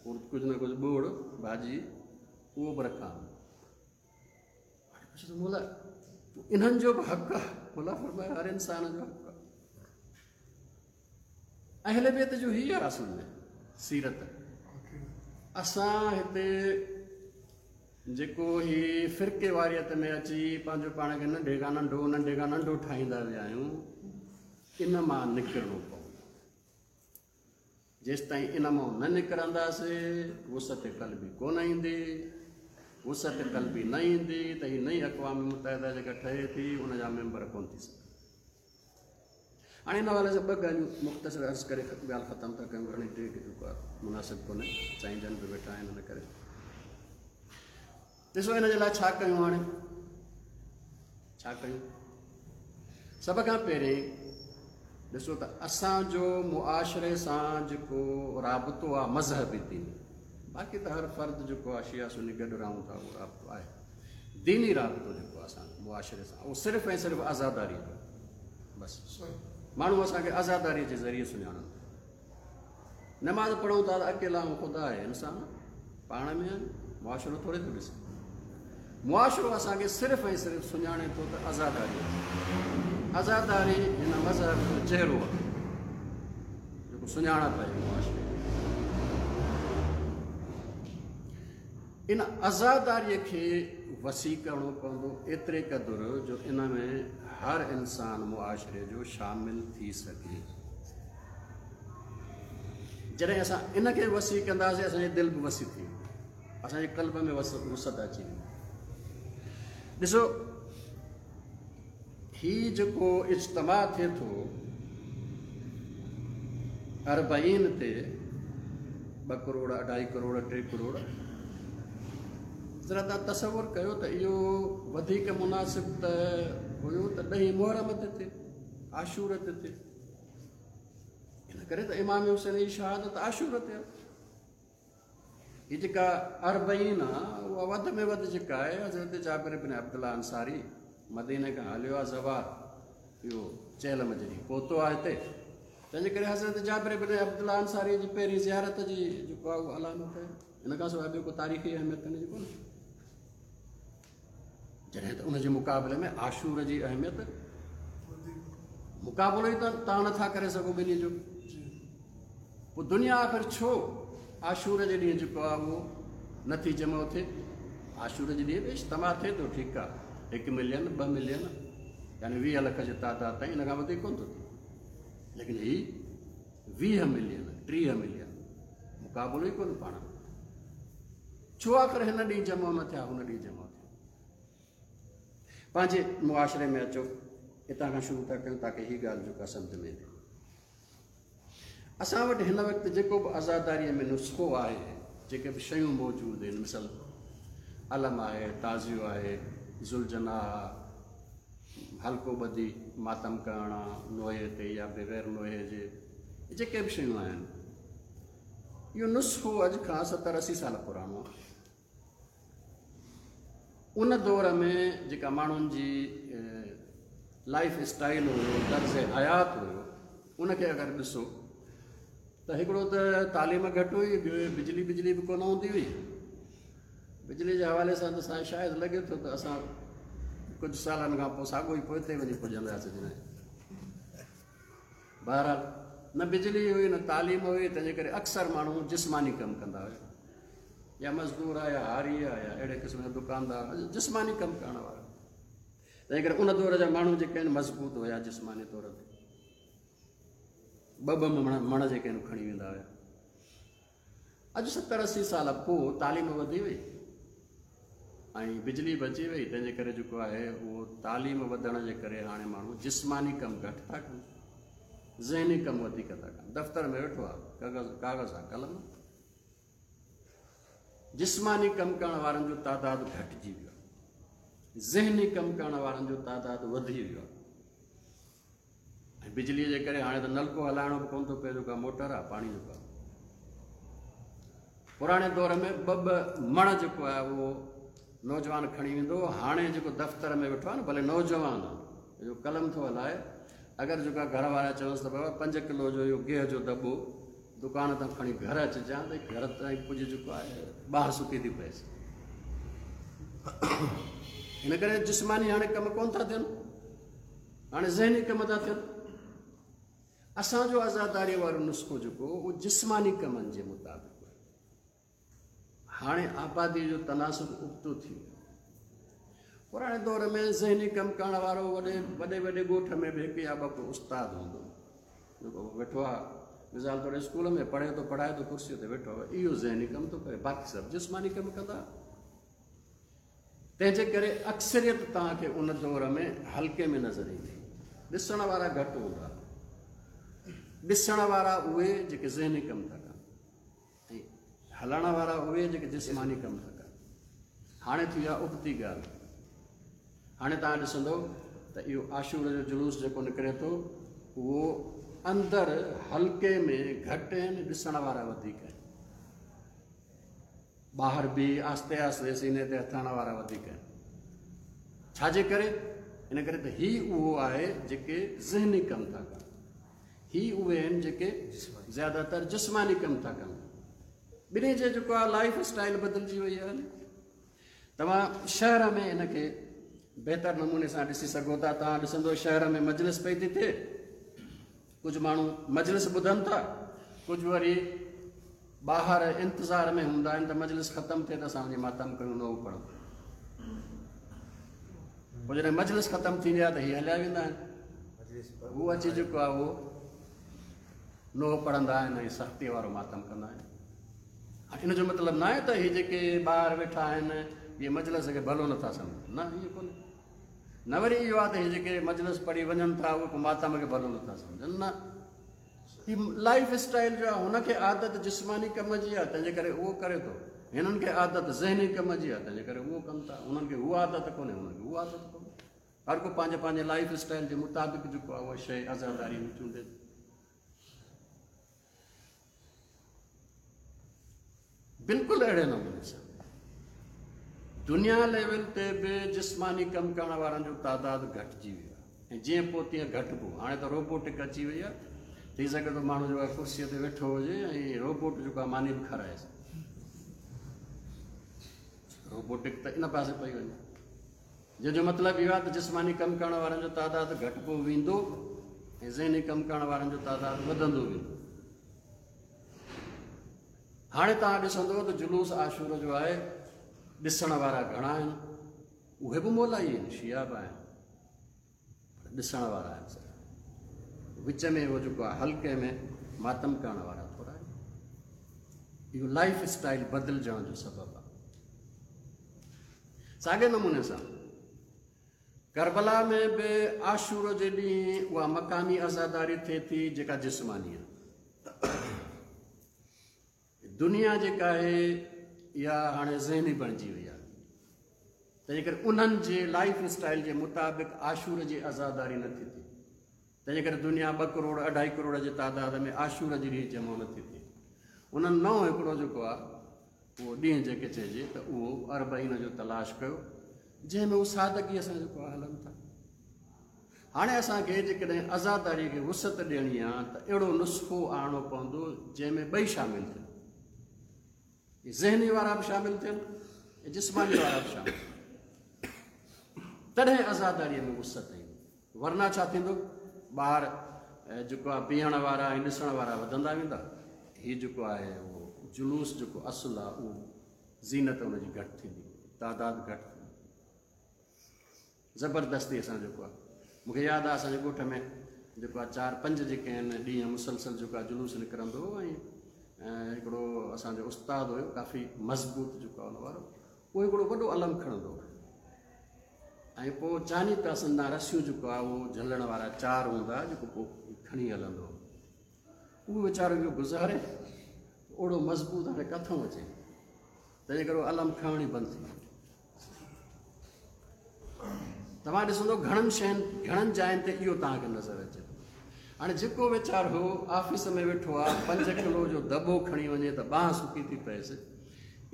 कुझु न कुझु ॿोड़ भाॼी उहो बि रखां। हाणे मौला इन्हनि जो बि हक़ आहे। मौला फरमायो हर इंसान जो हक़ आहे। अहले बैत जो हीअ आहे असल में सीरत। असां हिते जेको ही फ़िरके वारियत में अची पंहिंजो पाण खे नंढे खां नंढो नंढे खां नंढो ठाहींदा विया आहियूं, इन मां निकिरणो पवंदो। जेसि ताईं इन मां न निकिरंदासीं वुसअत क़ल्बी कोन ईंदी, वुसअत क़ल्बी न ईंदी त हीअ नई अक़वाम मुत्तहिदा जेका ठहे थी उनजा मेंबर कोन थी सघे। हाणे इन हवाले सां ॿ ॻाल्हियूं मुख़्तसिर अर्ज़ु करे ॻाल्हि ख़तमु था कयूं, घणी देरि जेको आहे मुनासिब कोन्हे, साईं जन बि वेठा आहिनि, हुन करे ॾिसो इन जे लाइ छा कयूं। हाणे छा कयूं? सभ खां पहिरीं ॾिसो त असांजो मुआशरे सां जेको राबितो आहे मज़हबी दीनी, बाक़ी त हर फ़र्द जेको आहे शिया सुन्नी गॾु रहूं था उहो राबितो आहे, दीनी राबितो जेको आहे असांजो मुआशरे सां उहो सिर्फ़ु ऐं सिर्फ़ु आज़ादारीअ जो, बसि माण्हू असांखे आज़ादारीअ जे ज़रिए सुञाणनि था। नमाज़ पढ़ूं था त अकेला ऐं ख़ुदा आहे, इंसान पाण में आहिनि, मुआशरो थोरे थो ॾिसे। मुआशरो असांखे सिर्फ़ु ऐं सिर्फ़ु सुञाणे थो त आज़ादारी, आज़ादारी हिन मज़हब जो चहिरो आहे जेको सुञाणप आहे मुआशरे। इन आज़ादारीअ खे वसी करिणो पवंदो एतिरे क़दुरु जो इन में हर इंसान मुआशरे जो शामिल थी सघे। जॾहिं असां इन खे वसी कंदासीं असांजी दिलि बि वसी थी वेंदी, असांजे क़ल्ब में वसअत अची वेंदी। ॾिसो ही जेको इज्तिमा थिए थो अरबईन ते ॿ करोड़ अढाई करोड़ टे करोड़, ज़रा तव्हां तसवुर कयो त इहो वधीक मुनासिब त हुयो त ॾहीं मुहर्रम ते थिए, आशूर ते थिए। इन करे त इमाम हुसैन जी शहादत आशूर ते आहे। हीअ जेका अरबईन आहे उहा वधि में वधि जेका आहे हज़रत जाबिर बिन अब्दुल्ला अंसारी मदीने खां हलियो आहे ज़वार, इहो चेहलम जॾहिं पहुतो आहे हिते, तंहिंजे करे हज़रत जाबिर बिन अब्दुल्ला अंसारी जी पहिरीं ज़ियारत जी जेको आहे उहो अलामत आहे। इन खां सवाइ ॿियो को तारीख़ी अहमियत हिन जी कोन्हे। जॾहिं त उनजे मुक़ाबले में आशूर जी अहमियत मुक़ाबिलो ई त तव्हां नथा करे सघो ॿिन्ही जो। पोइ दुनिया आख़िर छो आशूर जे ॾींहुं जेको आहे उहो नथी जमो थिए? आशूर जे ॾींहुं बि इज्तिमा थिए थो, ठीकु आहे, हिकु मिलियन ॿ मिलियन यानी वीह लख जे तादाद ताईं, इन खां वधीक कोन थो थिए। लेकिन हीअ वीह मिलियन टीह मिलियन मुक़ाबिलो ई कोन पाण। छो आख़िर हिन ॾींहुं जमो न थिया, हुन ॾींहुं जमो थिया? पंहिंजे मुआशरे में अचो, हितां खां शुरू था कयूं ताकी हीअ ॻाल्हि जेका सम्झ में ईंदी। असां वटि हिन वक़्तु जेको बि आज़ादारीअ में नुस्ख़ो आहे, जेके बि शयूं मौजूदु आहिनि, मिसाल अलम आहे, ताज़ियो आहे, ज़ुलजना, हल्को ॿधी मातम करणु आहे नोए ते या बग़ैर नोए जे, जेके बि शयूं आहिनि, इहो नुस्ख़ो अॼु खां सतरि असी साल पुराणो आहे। उन दौर में जेका माण्हुनि जी लाइफ स्टाइल हुयो, तर्ज़ हयात हुयो, उनखे अगरि ॾिसो त हिकिड़ो त तालीम घटि हुई, ॿियो बिजली बिजली बि कोन हूंदी हुई। बिजली जे हवाले सां त असांखे शायदि लॻे थो त असां कुझु सालनि खां पोइ साॻियो ई पोइ ते वञी पुॼंदासीं। जॾहिं बहरहाल न बिजली हुई न तालीम हुई, तंहिंजे करे अक्सर माण्हू जिस्मानी कमु कंदा हुआ, या मज़दूर आहे या हारी आहे या अहिड़े क़िस्म जा दुकानदार, जिस्मानी कमु करण वारा। तंहिंजे करे उन दौर जा माण्हू जेके आहिनि मज़बूत हुया जिस्मानी तौर ते, ॿ ॿ मण मण जेके आहिनि खणी वेंदा हुया। अॼु सतरि असी साल पोइ तालीम वधी वई ऐं बिजली बि अची वई, तंहिंजे करे जेको आहे उहो तालीम वधण जे करे हाणे माण्हू जिस्मानी कमु घटि था कनि, ज़हनी कमु वधीक था कनि। दफ़्तर में वेठो आहे, कागज़ कागज़ आहे, कलम, जिस्मानी कमु करण वारनि जो तादादु घटिजी वियो आहे, ज़हनी कमु करण वारनि जो तादादु वधी वियो आहे। ऐं बिजलीअ जे करे हाणे त नलको हलाइणो बि कोन थो पए, जेका मोटर आहे पाणी जेको आहे। पुराणे दौर में ॿ ॿ मण जेको आहे उहो नौजवान खणी वेंदो, हाणे जेको दफ़्तर में वेठो आहे न, भले नौजवान आहे जो कलम थो हलाए, अगरि जेका घर वारा चवंसि त बाबा पंज किलो जो इहो गेहु जो दॿो दुकान तां खणी घर अचिजांइ, त घर ताईं पुॼ जेको आहे ॿाहि सुकी थी पएसि। हिन करे जिस्मानी हाणे कमु कोन था थियनि, हाणे ज़हनी कम था थियनि। असांजो आज़ादारीअ वारो नुस्ख़ो जेको उहो जिस्मानी कमनि जे मुताबिक़। हाणे आबादी जो तनासुब उबतो थी वियो। पुराणे दौर में ज़हनी कमु करण वारो वॾे वॾे वॾे ॻोठ में बि हिकु या ॿ उस्ताद हूंदो, जेको वेठो आहे मिसाल तौरु स्कूल में पढ़े थो, पढ़ाए थो, कुर्सीअ ते वेठो आहे, इहो ज़हनी कमु थो करे, बाक़ी सभु जिस्मानी कमु कंदा। तंहिंजे करे अक्सरियत तव्हांखे उन दौर में हल्के में नज़र ईंदी, ॾिसण वारा घटि हूंदा, ॾिसण वारा उहे जेके ज़हनी कमु था कनि ऐं हलण वारा उहे जेके जिस्मानी कमु था कनि। हाणे थी आहे उबती ॻाल्हि। हाणे तव्हां ॾिसंदव त इहो आशूर जो जुलूस जेको निकिरे थो उहो अंदरि हल्के में घटि आहिनि, ॾिसण वारा वधीक आहिनि, ॿाहिरि बि आहिस्ते आहिस्ते सीने ते हथ हणण वारा वधीक आहिनि। छाजे करे? इन करे त हीउ उहो आहे जेके ज़हनी कमु था कनि, ही उहे आहिनि जेके ज़्यादातर जिस्मानी कमु था कनि। ॿिन्ही जे जेको आहे लाइफ स्टाइल बदिलजी वई आहे। तव्हां शहर में हिनखे बहितर नमूने सां ॾिसी सघो था। तव्हां ॾिसंदो शहर में मजलिस पई थी थिए, कुझु माण्हू मजलिस ॿुधनि था, कुझु वरी ॿाहिरि इंतज़ार में हूंदा आहिनि त मजलिस ख़तमु थिए त असां वञी मातम कयूं, नओ पढ़ूं। पोइ जॾहिं मजलिस ख़तमु थींदी आहे त हीअ हलिया वेंदा आहिनि, हू अची जेको आहे उहो نوح پڙهندا آهن ۽ سختيء وارو ماتم ڪندا آهن. هاڻي ان جو مطلب نه آهي ته هي جيڪي ٻاهر ويٺا آهن اهي مجلس کي ڀلو نٿا سمجهن، نه ائين ڪونهي. نه وري اهو آهي ته هي جيڪي مجلس پڙهي وڃن ٿا اهي ڪو ماتم کي ڀلو نٿا سمجهن، نه. هي لائف اسٽائل جو آهي، هن کي عادت جسماني ڪم جي آهي تنهنجي ڪري اهو ڪري ٿو، هنن کي عادت ذهني ڪم جي آهي تنهنجي ڪري اهو ڪن ٿا، هنن کي اها عادت ڪونهي، هنن کي اها عادت ڪونهي. هر ڪو پنهنجي پنهنجي لائف اسٽائل جي مطابق جيڪو آهي اها شيءِ عزاداري ۾ چونڊي ٿو. بلڪل اهڙي نموني سان دنيا ليول تي به جسماني ڪم ڪرڻ وارن جو تعداد گهٽجي ويو آهي ۽ جيئن پوءِ تيئن گهٽبو. هاڻي ته روبوٽڪ اچي وئي آهي، ٿي سگهي ٿو ماڻهو جيڪو آهي ڪرسيءَ تي ويٺو هجي ۽ روبوٽ جيڪو آهي ماني به کارائيس. روبوٽڪ ته ان پاسي پئي وڃي، جنهن جو مطلب اهو آهي ته جسماني ڪم ڪرڻ وارن جو تعداد گهٽبو ويندو ۽ ذهني ڪم ڪرڻ وارن جو تعداد وڌندو ويندو. هاڻي توهان ڏسندو ته جلوس عاشور جو آهي، ڏسڻ وارا گهڻا آهن، اهي به مولائي آهن، شيعا به آهن، پر ڏسڻ وارا آهن سر. وچ ۾ اهو جيڪو آهي حلقي ۾ ماتم ڪرڻ وارا ٿورا آهن. اهو لائف اسٽائل بدلجڻ جو سبب آهي. ساڳئي نموني سان ڪربلا ۾ به عاشور جي ڏينهن اها مقامي عزاداري ٿئي ٿي جيڪا جسماني آهي. دنيا جيڪا آهي اها هاڻي ذهني بڻجي وئي آهي، تنهنجي ڪري انهن جي لائف اسٽائل جي مطابق عاشور جي عزاداري نٿي ٿئي. تنهنجي ڪري دنيا ٻه ڪروڙ اڍائي ڪروڙ جي تعداد ۾ عاشور جي ڏينهن جمع نٿي ٿئي. انهن نئون هڪڙو جيڪو آهي اهو ڏينهن جيڪي چئجي ته اهو اربعين جو تلاش ڪيو، جنهن ۾ اهو سادگيءَ سان جيڪو آهي هلن ٿا. هاڻي اسان کي جيڪڏهن عزاداريءَ کي وسعت ڏيڻي آهي ته اهڙو نسخو آڻڻو پوندو جنهن ۾ ٻئي شامل ٿين، ذهني وارا به شامل ٿين ۽ جسماني وارا به شامل ٿين، تڏهن عزاداريءَ ۾ وسعت ايندي. ورنه ڇا ٿيندو، ٻاهر جيڪو آهي بيهڻ وارا ۽ ڏسڻ وارا وڌندا ويندا، هيءُ جيڪو آهي اهو جلوس جيڪو اصل آهي اهو زينت هن جي گهٽ ٿيندي، تعداد گهٽ ٿيندي. زبردستيءَ سان جيڪو آهي، مون کي ياد آهي اسان جي ڳوٺ ۾ جيڪو آهي چار پنج جيڪي آهن ڏينهن مسلسل جيڪو آهي جلوس نڪرندو هو ۽ هڪڙو اسان جو استاد هيو ڪافي مضبوط جيڪو آهي هن وارو، اهو هڪڙو وڏو علم کڻندو هو ۽ پوءِ چاني پاسن تان رسيون جيڪو آهي اهو جهلڻ وارا چار هوندا جيڪو پوءِ کڻي هلندو هو. اهو ويچارو اهو گذاري اوڙو مضبوط هاڻي ڪٿان اچي، تنهن جي ڪري اهو علم کڻڻ ئي بند ٿي ويو. توهان ڏسندو گهڻن شين گهڻن جاين تي اهو توهان کي نظر اچي ٿو. هاڻي جيڪو ويچارو آفيس ۾ ويٺو آهي پنج ڪلو جو دٻو کڻي وڃي ته ٻانهن سڪي ٿي پئيس،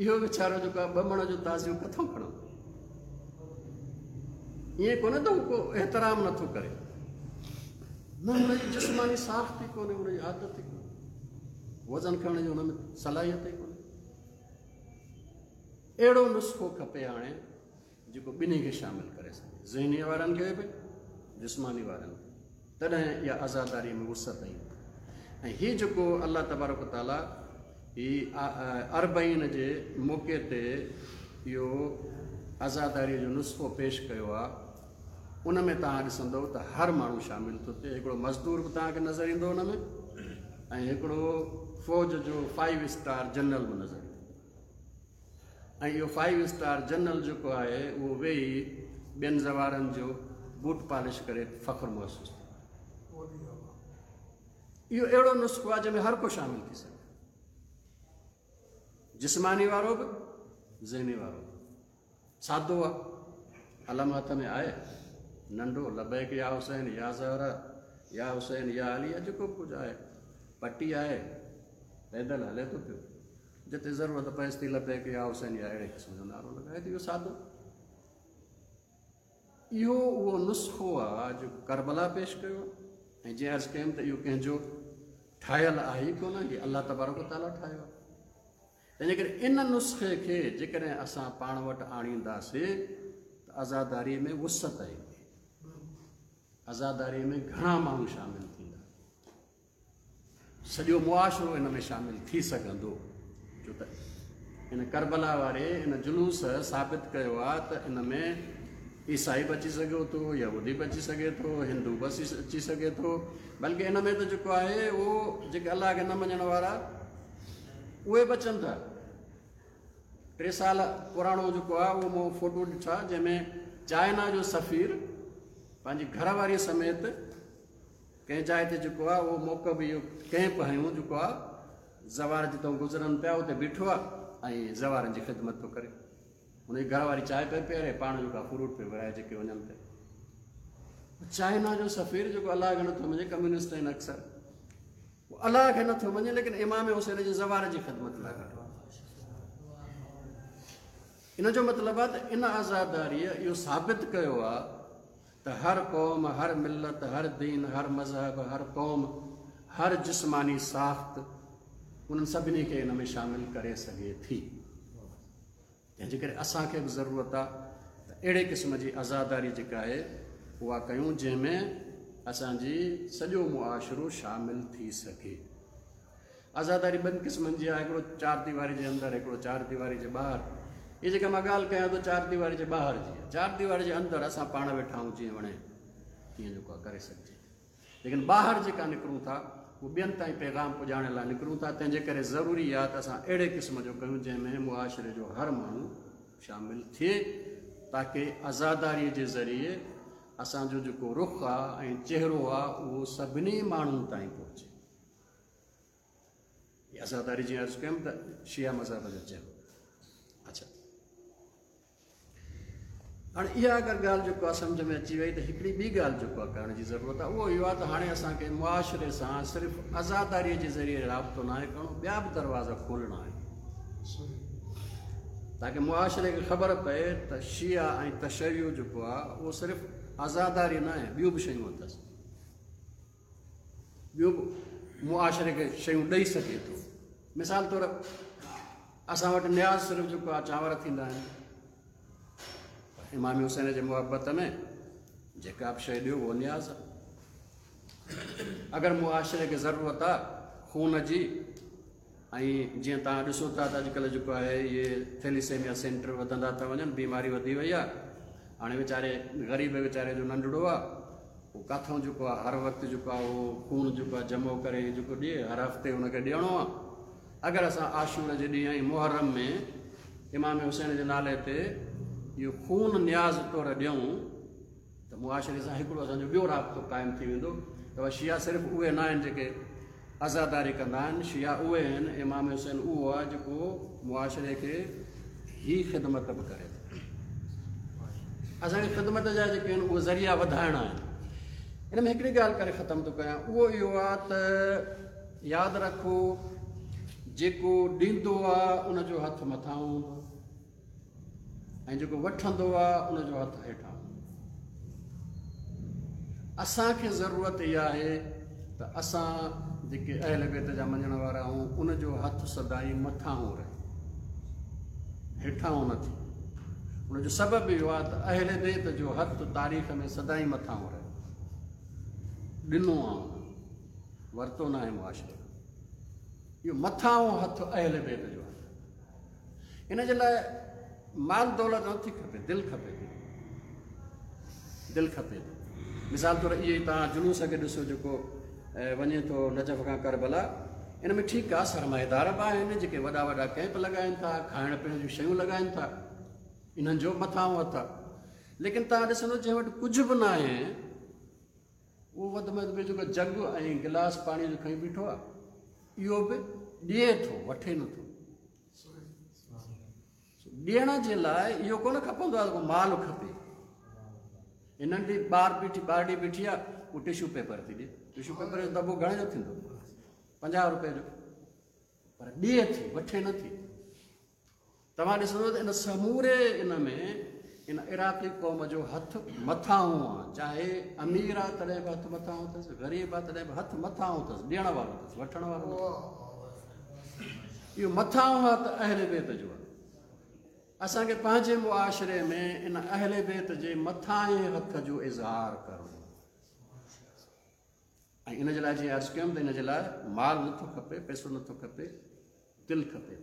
اهو ويچارو جيڪو آهي ٻه مڻ جو تازيو ڪٿان کڻندو؟ ائين ڪونهي ته هو ڪو احترام نٿو ڪري، نه هن جي جسماني ساخت ئي ڪونهي، هن جي عادت ئي ڪونهي، وزن کڻڻ جي هن ۾ صلاحيت ئي ڪونهي. اهڙو نسخو کپي هاڻي جيڪو ٻنهي کي شامل ڪري سگهي، ذهني وارن کي به جسماني وارن کي، تڏهن اها عزاداريءَ ۾ وسعت ايندي. ۽ هيءُ جيڪو الله تبارڪ تعاليٰ هيءُ اربعين جي موقعي تي اهو عزاداريءَ جو نسخو پيش ڪيو آهي، ان ۾ توهان ڏسندؤ ته هر ماڻهو شامل ٿو ٿئي. هڪڙو مزدور به توهان کي نظر ايندو هن ۾ ۽ هڪڙو فوج جو فائيو اسٽار جنرل به نظر ايندو. ۽ اهو فائيو اسٽار جنرل جيڪو آهي اهو ويهي ٻين زوارن جو بوٽ پالش ڪري فخر محسوس ٿيندو. اهو اهڙو نسخو آهي جنهن ۾ هر ڪو شامل ٿي سگهي، جسماني وارو به ذهني وارو به. سادو آهي، علم هٿ ۾ آهي ننڍو، لبيڪ يا حسين يا زهرا يا حسين يا علي يا جيڪو به ڪجهه آهي، پٽي آهي، پيدل هلي ٿو پيو، جتي ضرورت پئيس ٿي لبيڪ يا حسين يا اهڙي قسم جو نعرو لڳائي ٿو. اهو سادو اهو اهو نسخو آهي جيڪو ڪربلا پيش ڪيو آهي. ۽ جيئن عرض ڪيم ته اهو ڪنهن جو ٺاهيل آهي ئي ڪونه، هيءُ الله تبارڪ تعاليٰ ٺاهيو آهي. تنهن جي ڪري ان نسخي کي جيڪڏهن اسان پاڻ وٽ آڻينداسين ته عزاداريءَ ۾ وسعت ايندي، عزاداريءَ ۾ گهڻا ماڻهو شامل ٿيندا، سڄو معاشرو ان ۾ شامل ٿي سگهندو. ڇو ته ان ڪربلا واري ان جلوس ثابت ڪيو آهي ته ان ۾ عيسائي به اچي سگهيو ٿو، يهودي به اچي سگهي ٿو، هندو به اچي سگهي ٿو، بلڪه ان ۾ ته جيڪو آهي اهو جيڪي الله کي نه مڃڻ وارا اهي به اچن ٿا. ٽي سال پراڻو جيڪو آهي اهو مون فوٽو ڏٺا جنهن ۾ چائنا جو سفير پنهنجي گهر واري سميت ڪنهن جاءِ تي جيڪو آهي اهو موقعو به اهو ڪيمپ هنيو جيڪو آهي زوار جتان گذرن پيا اتي بيٺو آهي ۽ زوارن جي خدمت ٿو ڪري. هن جي گهر واري چانهه پئي پياري، پاڻ جيڪو آهي فروٽ پيو ورهائي جيڪي وڃن پيا. چائنا جو سفير جيڪو الله کي نٿو مڃي، ڪميونسٽ آهن اڪثر، الله کي نٿو مڃي، ليڪن امام حسين جي زوار جي خدمت لاءِ بيٺو آهي. ان جو مطلب آهي ته ان آزاداريءَ اهو ثابت ڪيو آهي ته هر قوم، هر ملت، هر دين، هر مذهب، هر قوم، هر جسماني ساخت انهن سڀني کي ان ۾ شامل ڪري سگهي ٿي. تنهن جي ڪري اسان کي به ضرورت آهي ته اهڙي قسم جي آزاداري جيڪا آهي اها ڪيون جنهن ۾ اسان جي سڄو معاشرو شامل ٿي سگهي. آزاداري ٻن قسمن جي آهي، هڪڙو چار ديواري جي اندر، هڪڙو چار ديواري جي ٻاهر. اها جيڪا مان ڳالهه ڪيان ٿو چار ديواري جي ٻاهر جي آهي. چار ديواري جي اندر اسان پاڻ ويٺا آهيون جيئن وڻي تيئن جيڪو آهي ڪري سگهجي، ليڪن ٻاهر جيڪا نڪرون ٿا اهو ٻين تائين پيغام پڄائڻ لاءِ نڪرون ٿا. تنهن جي ڪري ضروري آهي ته اسان اهڙي قسم جو ڪيون جنهن ۾ معاشري جو هر ماڻهو شامل ٿئي، تاڪه آزاداريءَ جي ذريعي اسان جو جيڪو رخ آهي ۽ چهرو آهي اهو سڀني ماڻهن تائين پهچي. آزاداري جيئن عرض ڪيم ته شيعا مذهب جو چهرو. اڇا، هاڻي اها اگر ڳالهه جيڪو آهي سمجهه ۾ اچي وئي ته هڪڙي ٻي ڳالهه جيڪو آهي ڪرڻ جي ضرورت آهي، اهو اهو آهي ته هاڻي اسان کي معاشري سان صرف آزاداريءَ جي ذريعي رابطو نه آهي ڪرڻو، ٻيا به دروازا کولڻا آهن تاڪه معاشري کي خبر پئي ته شيعا ۽ تشيع جيڪو آهي اهو صرف آزاداري نه آهي، ٻيون به شيون اٿس، ٻيون به معاشري کي شيون ڏيئي سگهي ٿو. مثال طور اسان وٽ نياز صرف جيڪو آهي چانور ٿيندا آهن، امام حسين جي محبت ۾ جيڪا به شيءِ ڏيو اهو نياز آهي. اگر معاشري کي ضرورت آهي خون جي، ۽ جيئن توهان ڏسو ٿا ته اڄڪلهه جيڪو آهي اهي ٿيليسيميا سينٽر وڌندا ٿا وڃن، بيماري وڌي وئي آهي. هاڻي ويچاري غريب ويچاري جو ننڍڙو آهي اهو ڪاٿان جيڪو آهي هر وقت جيڪو آهي اهو خون جيڪو آهي جمع ڪري جيڪو ڏئي، هر هفتي هن کي ڏيڻو آهي. اگر اسان آشور جي ڏينهن ۽ محرم ۾ امام حسين جي نالي تي اهو خون نياز طور ڏيون ته معاشري سان هڪڙو اسان جو ٻيو رابطو قائم ٿي ويندو. ته شيعا صرف اهي نه آهن جيڪي آزاداري ڪندا آهن، شيعا اهي آهن، امام حسين اهو آهي جيڪو معاشري کي هي خدمت به ڪري ٿو. اسان کي خدمت جا جيڪي آهن اهي ذريعا وڌائڻا آهن. هن ۾ هڪڙي ڳالهه ڪري ختم ٿو ڪيان، اهو اهو آهي ته ياد رکو جيڪو ڏيندو آهي ان جو هٿ مٿان هوندو ۽ جيڪو وٺندو آهي ان جو هٿ هيٺان هوندو. اسان کي ضرورت اها آهي ته اسان جيڪي اهل بيت جا مڃڻ وارا آهيون ان جو هٿ سدائين مٿان رهي، هيٺان نه ٿئي. ان جو سبب اهو آهي ته اهل بيت جو هٿ تاريخ ۾ سدائين مٿان رهي، ڏنو آهي ورتو نه آهي معاشري. اهو مٿان هٿ اهل بيت جو آهي. ان جي لاءِ مال دولت نٿي کپي، دل کپي ٿي، دل کپي ٿي. مثال طور اهي ئي توهان جلوس کي ڏسو جيڪو وڃي ٿو نجف کان ڪربلا، ان ۾ ٺيڪ آهي سرمائيدار به آهن جيڪي وڏا وڏا ڪيمپ لڳائين ٿا، کائڻ پيئڻ جون شيون لڳائين ٿا، انهن جو مٿان هٿ آهي. ليڪن توهان ڏسندو جنهن وٽ ڪجهه به نه آهي اهو وڌ ۾ وڌ جيڪو جڳ ۽ گلاس پاڻيءَ جو کڻي بيٺو آهي اهو به ڏئي ٿو، وٺي نٿو. ڏيڻ جي لاءِ اهو ڪونه کپندو آهي ڪو مال کپي. ننڍي ٻار بيٺي ٻارڙي بيٺي آهي اهو ٽشو پيپر ٿي ڏئي، ٽشو پيپر جو دٻو گهڻي جو ٿيندو؟ پنجاهه رپئي جو، پر ڏئي ٿي وٺي نٿي. توهان ڏسندو ته ان سموري ان ۾ ان عراقي قوم جو هٿ مٿان آهي، چاهي امير آهي تڏهن به هٿ مٿان اٿس، غريب آهي تڏهن به هٿ مٿان اٿس، ڏيڻ وارو اٿس، وٺڻ وارو نه. اهو مٿان هٿ اهل بيت جو آهي. اسان کي پنهنجي معاشري ۾ ان اهل بيت جي مٿان هٿ جو اظهار ڪرڻو ۽ ان جي لاءِ جيئن عرض ڪيم ته ان جي لاءِ مال نٿو کپي، پئسو نٿو کپي، دل کپي.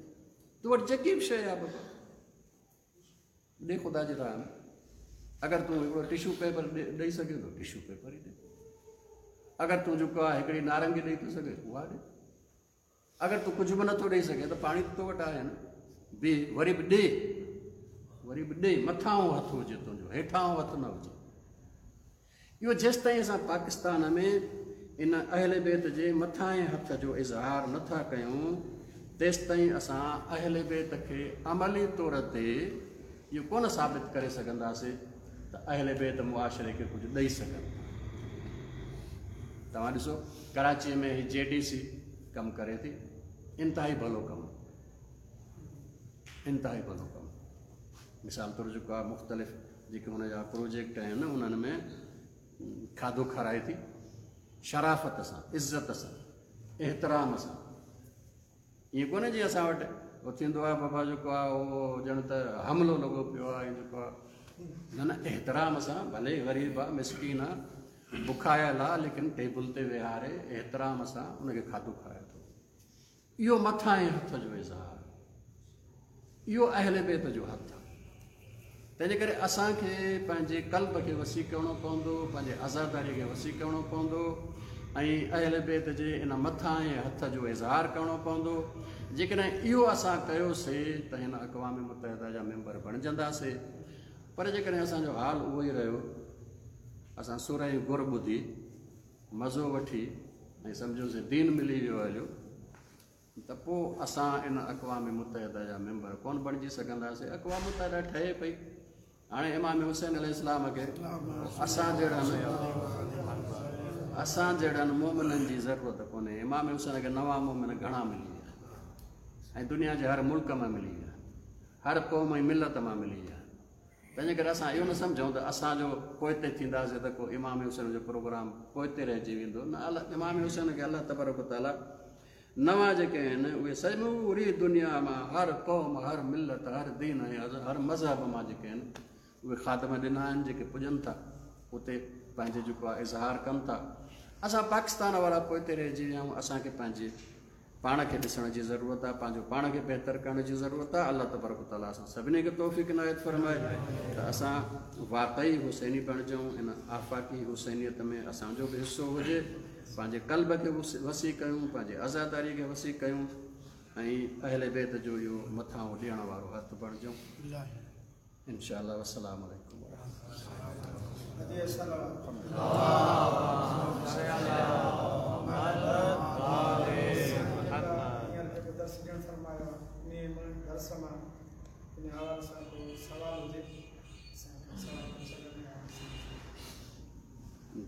تو وٽ جيڪي به شيءِ آهي بابا ڏي خدا جي راهه ۾. اگر تون هڪڙو ٽشو پيپر ڏيئي سگهين ٿو، ٽشو پيپر ئي ڏي. اگر تون جيڪو آهي هڪڙي نارنگي ڏيئي ٿو سگهين، اها ڏي. اگر تون ڪجهه به نٿو ڏيئي سگهين ته پاڻي ته تو وٽ آهي نه، به وري به ڏي، وري به ڏي. مٿان هٿ هجي تنهنجو، هيٺان هٿ نه هجي. اهو جيستائين اسان پاڪستان ۾ ان اهل بيت جي مٿان هٿ جو اظهار نٿا ڪيون، تيستائين اسان اهل بيت کي عملي طور تي اهو ڪونه ثابت ڪري سگهنداسين ته اهل بيت معاشري کي ڪجهه ڏيئي سگهن. توهان ڏسو ڪراچيءَ ۾ هي جي ڊي سي ڪم ڪري ٿي، انتهائي ڀلو ڪم، انتهائي ڀلو ڪم. مثال طور جيڪو آهي مختلف جيڪي هن جا پروجيڪٽ آهن انهن ۾ کاڌو کارائي ٿي شرافت سان، عزت سان، احترام سان. ائين ڪونهي جيئن اسان وٽ اهو ٿيندو آهي بابا جيڪو آهي اهو ڄڻ ته حملو لڳو پيو آهي جيڪو آهي، نه نه، احترام سان، ڀلي غريب آهي، مسڪين آهي، بکايل آهي، ليڪن ٽيبل تي ويهاري احترام سان ان کي کاڌو کارائي ٿو. اهو مٿان هٿ جو اظهار، اهو اهل بيت جو هٿ آهي. تنهنجي ڪري اسان کي پنهنجي قلب کي وسيع ڪرڻو پوندو، پنهنجي آزاداريءَ کي وسيع ڪرڻو پوندو ۽ اهل بيت جي ان مٿان هٿ جو اظهار ڪرڻو پوندو. جيڪڏهن اهو اسان ڪيوسين ته هن اقوام متحده جا ميمبر بڻجنداسين. پر جيڪڏهن اسان جو حال اهو ئي رهيو، اسان سر ۽ گر ٻڌي مزو وٺي ۽ سمجهوسين دين ملي ويو هليو، ته پوءِ اسان ان اقوام متحده جا ميمبر ڪونه بڻجي سگهنداسين. اقوام متحده ٺهي پئي، هاڻي امام حسين عليه السلام کي اسان جهڙن اسان جهڙن مومنن جي ضرورت ڪونهي. امام حسين کي نوان مومن گهڻا ملي ويا ۽ دنيا جي هر ملڪ مان ملي ويا، هر قوم ۽ ملت مان ملي ويا. تنهنجي ڪري اسان اهو نه سمجهون ته اسان جو پوئتي ٿينداسين ته ڪو امام حسين جو پروگرام پوئتي رهجي ويندو. نه، الله امام حسين کي الله تبارڪ تعاليٰ نوان جيڪي آهن اهي سموري دنيا مان هر قوم، هر ملت، هر دين ۽ هر مذهب مان جيڪي آهن اهي خادم ڏنا آهن، جيڪي پڄن ٿا اتي پنهنجي جيڪو آهي اظهار ڪن ٿا. اسان پاڪستان وارا پوئتي رهجي ويا آهيون. اسان کي پنهنجي پاڻ کي ڏسڻ جي ضرورت آهي، پنهنجو پاڻ کي بهتر ڪرڻ جي ضرورت آهي. الله تبارڪ تعاليٰ اسان سڀني کي توفيق عنايت فرمائي ته اسان واقعي حسيني بڻجون، ان آفاقي حسينيت ۾ اسان جو به حصو هجي. پنهنجي قلب کي وسيع ڪيون، پنهنجي آزاداريءَ کي وسيع ڪيون ۽ اهل بيت جو اهو مٿان ڏيڻ وارو هٿ بڻجون انشاء الله. والسلام عليڪم ورحمة الله.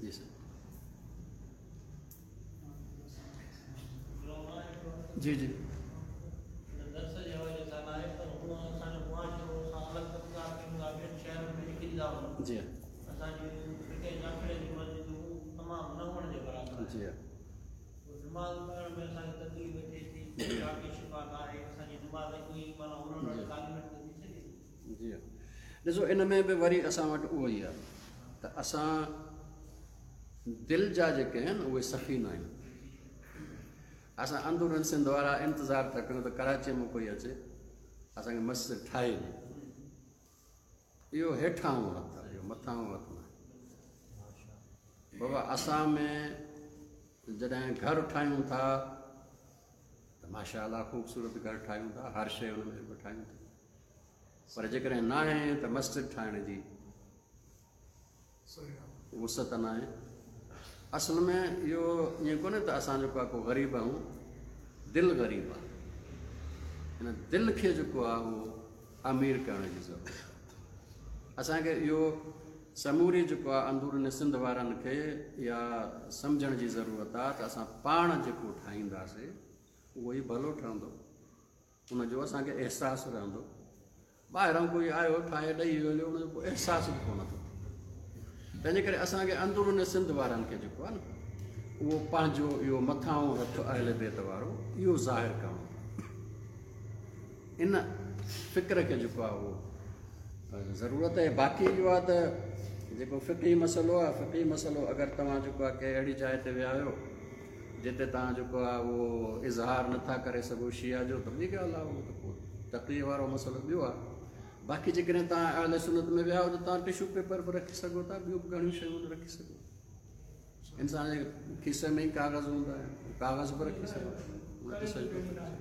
جي سر، جي جي. درس جي حوالي سان آهي پر هونئن اسان جو معاشرو اسان الڳ طبقا ٿيون ٿا، ٻين شهرن ۾ نڪري ٿا وڃون. جي. اسان جي ٺٽي جاکڙي جي مسجدون تمام نه هئڻ جي برابر آهن. جي. نماز پڙهڻ ۾ اسان کي تڪليف ٿئي ٿي، باقي شفا نه آهي. اسان جي نماز ڪوئي معنيٰ هنن وٽ تعليم ٿي سگهي ٿي. جي، ڏسو ان ۾ به وري اسان وٽ اهو ئي آهي ته اسان دل جا جيڪي آهن اهي سخي نه آهن. اسان اندرون سنڌ وارا انتظار ٿا ڪيون ته ڪراچيءَ مان ڪوئي اچي اسان کي مسجد ٺاهي ڏئي. اهو هيٺان هٿ آهي، اهو مٿان هٿ نه آهي. بابا اسان ۾ جڏهن گهر ٺاهيون ٿا ته ماشا الله خوبصورت گهر ٺاهيون ٿا، هر شيءِ هن ۾ به ٺاهيون ٿا، پر جيڪڏهن نه آهي ته مسجد ٺاهڻ جي وسعت نه آهي. اصل ۾ اهو ائين ڪونهي ته اسان جيڪو آهي ڪو غريب آهيون، دل غريب آهي. هن دل کي جيڪو آهي اهو امير ڪرڻ جي ضرورت آهي. اسان کي اهو سموري جيڪو آهي اندرون سنڌ وارن کي اها سمجهڻ جي ضرورت آهي ته اسان پاڻ جيڪو ٺاهينداسين اهو ئي ڀلو ٺهندو، ان جو اسان کي احساس رهندو. ٻاهران ڪوئي آيو ٺاهي ڏيئي ويو، ان جو ڪو احساس به ڪونه ٿو ٿئي. تنهنجي ڪري اسان کي اندرون سنڌ وارن کي جيڪو آهي نه اهو پنهنجو اهو مٿان هٿ اهل بيت وارو اهو ظاهر ڪرڻو، ان فڪر کي جيڪو آهي اهو ضرورت آهي. باقي اهو آهي ته جيڪو فقهي مسئلو آهي، فقهي مسئلو اگر توهان جيڪو آهي ڪنهن اهڙي جاءِ تي ويا آهيو جتي توهان جيڪو آهي اهو اظهار نٿا ڪري سگهو شيعا جو، ته ٻي ڳالهه آهي، اهو ته پوءِ تقرير وارو مسئلو ٻيو آهي. बाक़ी जेकॾहिं तव्हां अहले सुन्नत में विया हुजो, तव्हां टिशू पेपर बि रखी सघो था, ॿियूं बि घणियूं शयूं रखी सघो। इंसान जे खीसे में ई कागज़ हूंदा आहिनि, कागज़ बि रखी सघो था, उन ते सजदो करे।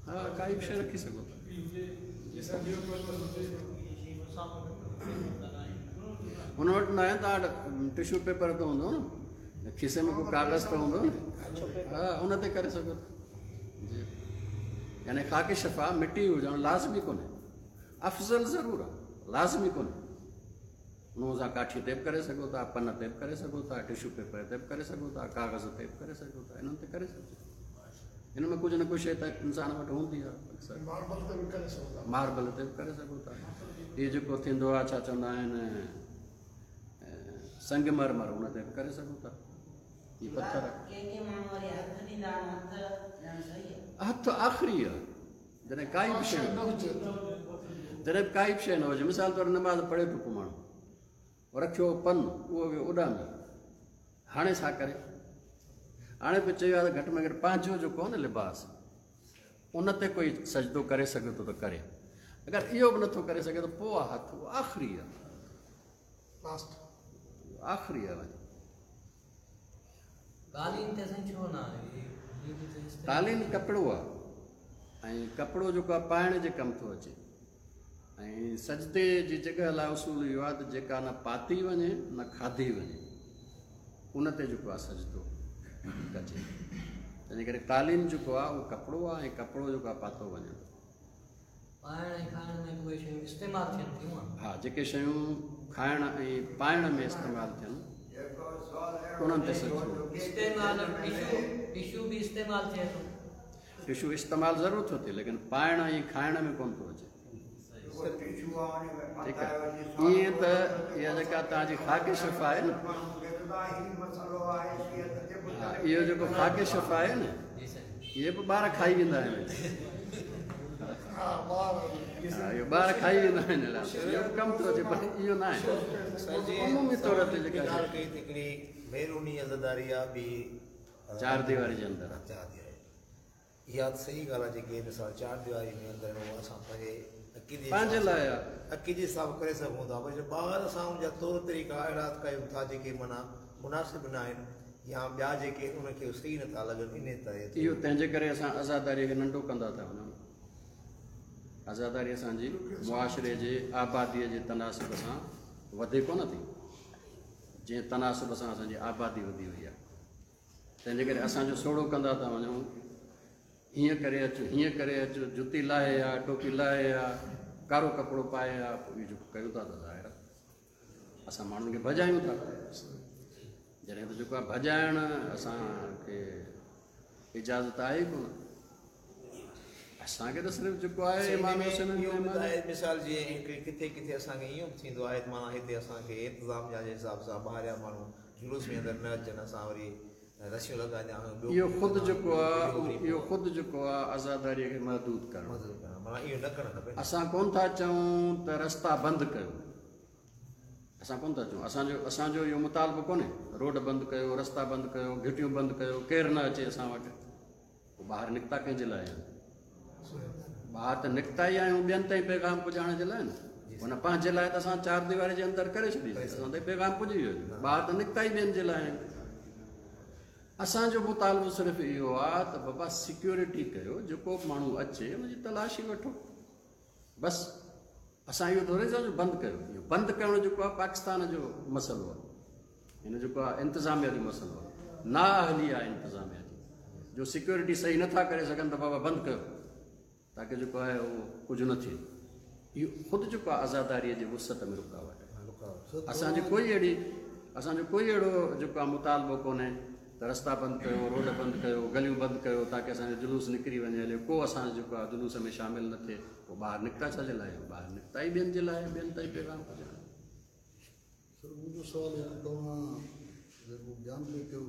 हा, काई बि शइ रखी सघो था। हुन वटि न आहे, तव्हां वटि टिशू पेपर त हूंदो न, खीसे में को कागज़ त हूंदो न, हा, उन ते करे सघो था। जी, यानी ख़ाके शफ़ा मिटी हुजणु लाज़मी कोन्हे, अफ़ज़ल ज़रूरु आहे, लाज़मी कोन्हे। उन सां काठी ते बि करे सघो था, पन ते बि करे सघो था, टिशू पेपर ते बि करे सघो था, कागज़ ते बि करे सघो था, इन्हनि ते करे सघिजे। हिन में कुझु न कुझु शइ त इंसान वटि हूंदी आहे अक्सर। मार्बल ते बि करे सघो था, मार्बल ते बि करे सघो था। इहो जेको थींदो आहे, छा चवंदा आहिनि, संग मरमर, उन ते बि करे सघो था। हीअ पथर हथु आख़िरी आहे, जॾहिं काई बि शइ न हुजे, जॾहिं काई बि शइ न हुजे। मिसाल तौरु नमाज़ पढ़े थो को माण्हू, रखियो पन, उहो वियो उॾामी, हाणे छा करे? हाणे बि चयो आहे त घटि में घटि पंहिंजो जेको आहे न लिबास, उन ते कोई सजदो करे सघे थो त करे, अगरि इहो बि नथो करे सघे त पोइ आहे हथु, उहो आख़िरी आहे, लास्ट आख़िरी आहे। वञी क़ालीन ते साईं छो न आहे? क़ालीन कपिड़ो आहे, ऐं कपिड़ो जेको आहे पाइण जे कमु थो अचे। ऐं सजदे जी जॻह लाइ उसूल इहो आहे त जेका न पाती वञे न खाधी वञे, उन ते जेको आहे सजदो कजे। तंहिंजे करे क़ालीन जेको आहे उहो कपिड़ो आहे, ऐं कपिड़ो जेको आहे पातो वञे थो। पाइण ऐं खाइण में उहे शयूं इस्तेमालु थियनि थियूं। हा, जेके शयूं खाइण ऐं पाइण में इस्तेमालु थियनि उन्हनि ते सजदो। इस्तेमालु टिशू, टिशू बि इस्तेमालु थिए थो। टिशू इस्तेमालु ज़रूरु थो थिए, लेकिन पाइण ऐं खाइण में कोन थो अचे। ठीकु आहे, ईअं त इहा जेका तव्हांजी ख़ाके शफ़ा आहे न, इहो जेको ख़ाके शफ़ा आहे न, इहे बि ॿार खाई वेंदा आहिनि। इहो ॿार खाई वेंदा आहिनि, इहो कमु थो अचे, पर इहो न आहे। उमूमी तौर ते जेका हिकिड़ी मेहरूनी अज़ादारी आहे ॿी चार दीवारी जे अंदरि चार दीवारी, इहा त सही ॻाल्हि आहे। जेके मिसाल चार दीवारी में अंदरि असां पंहिंजे अक़ीदे पंहिंजे लाइ आहे, अक़ीदे हिसाब करे सघूं था, पर ॿाहिरि असां हुनजा तौर तरीक़ा अहिड़ा कयूं था जेके माना मुनासिब न आहिनि, या ॿिया जेके उनखे सही नथा लॻनि। इन तरह इहो तंहिंजे करे असां आज़ादारीअ खे नंढो कंदा था वञूं। आज़ादारी असांजी मुआशिरे जे आबादीअ जे तनासुब सां वधे कोन थी, जंहिं तनासुब सां असांजी आबादी वधी वई आहे। तंहिंजे करे असांजो सोड़ो कंदा था वञूं, हीअं करे अचु, हीअं करे अचु, जुती लाहे आ, टोपी लाहे आ, कारो कपिड़ो पाए आ, पोइ इहो जेको कयूं था त ज़ाहिर आहे असां माण्हुनि खे भॼायूं था। जॾहिं त जेको आहे भॼाइण असांखे इजाज़त आहे ई कोन, असांखे त सिर्फ़ु जेको आहे इमाम हुसैन। मिसाल जीअं किथे किथे असांखे इहो बि थींदो आहे, माना हिते असांखे इंतिज़ाम जे हिसाब सां ॿाहिरियां माण्हू जुलूस में अंदरि न अचनि, असां वरी रसियूं लॻाईंदा आहियूं। इहो ख़ुदि जेको आहे, इहो ख़ुदि जेको आहे आज़ादारीअ खे महदूद करणु, माना इहो न करणु खपे। असां कोन था चऊं त रस्ता बंदि कयो, असां कोन था चऊं, असांजो असांजो इहो मुतालबो कोन्हे रोड बंदि कयो, रस्ता बंदि कयो, घिटियूं बंदि कयो, केरु न अचे असां वटि। पोइ ॿाहिरि निकिता कंहिंजे लाइ आहिनि? ॿाहिरि त निकिता ई आहियूं ॿियनि ताईं पैगाम पुॼाइण जे लाइ न, हुन पंहिंजे लाइ त असां चार दीवारी जे अंदरि करे छॾी, असां ताईं पैगाम पुॼी वियो। ॿाहिरि त निकिता ई ॿियनि जे लाइ आहिनि। असांजो मुतालबो सिर्फ़ु इहो आहे त बाबा सिक्योरिटी कयो, जेको बि माण्हू अचे हुनजी तलाशी वठो, बसि। असां इहो थोरी चऊं बंदि कयो। इहो बंदि करणु जेको आहे पाकिस्तान जो मसइलो आहे, हिन जेको आहे इंतिज़ामिया जो मसइलो आहे, नाअहली आहे इंतिज़ामिया जी, जो सिक्योरिटी सही नथा करे सघनि त बाबा बंदि कयो, ताकी जेको आहे उहो कुझु न थिए। इहो ख़ुदि जेको आहे आज़ादारीअ जी वुसअत में रुकावट आहे। असांजो कोई अहिड़ी असांजो कोई अहिड़ो जेको आहे मुतालबो कोन्हे त रस्ता बंदि कयो, रोड बंदि कयो, गलियूं बंदि कयो, ताकी असांजो जुलूस निकिरी वञे हलियो, को असांजो जेको आहे जुलूस में शामिल न थिए। पोइ ॿाहिरि निकिता छा जे लाइ? ॿाहिरि निकिता ई ॿियनि जे लाइ, ॿियनि ताईं पैगाम पहुचाइण। सर मुंहिंजो सुवाल आहे, तव्हां जेको बयानु पिए कयो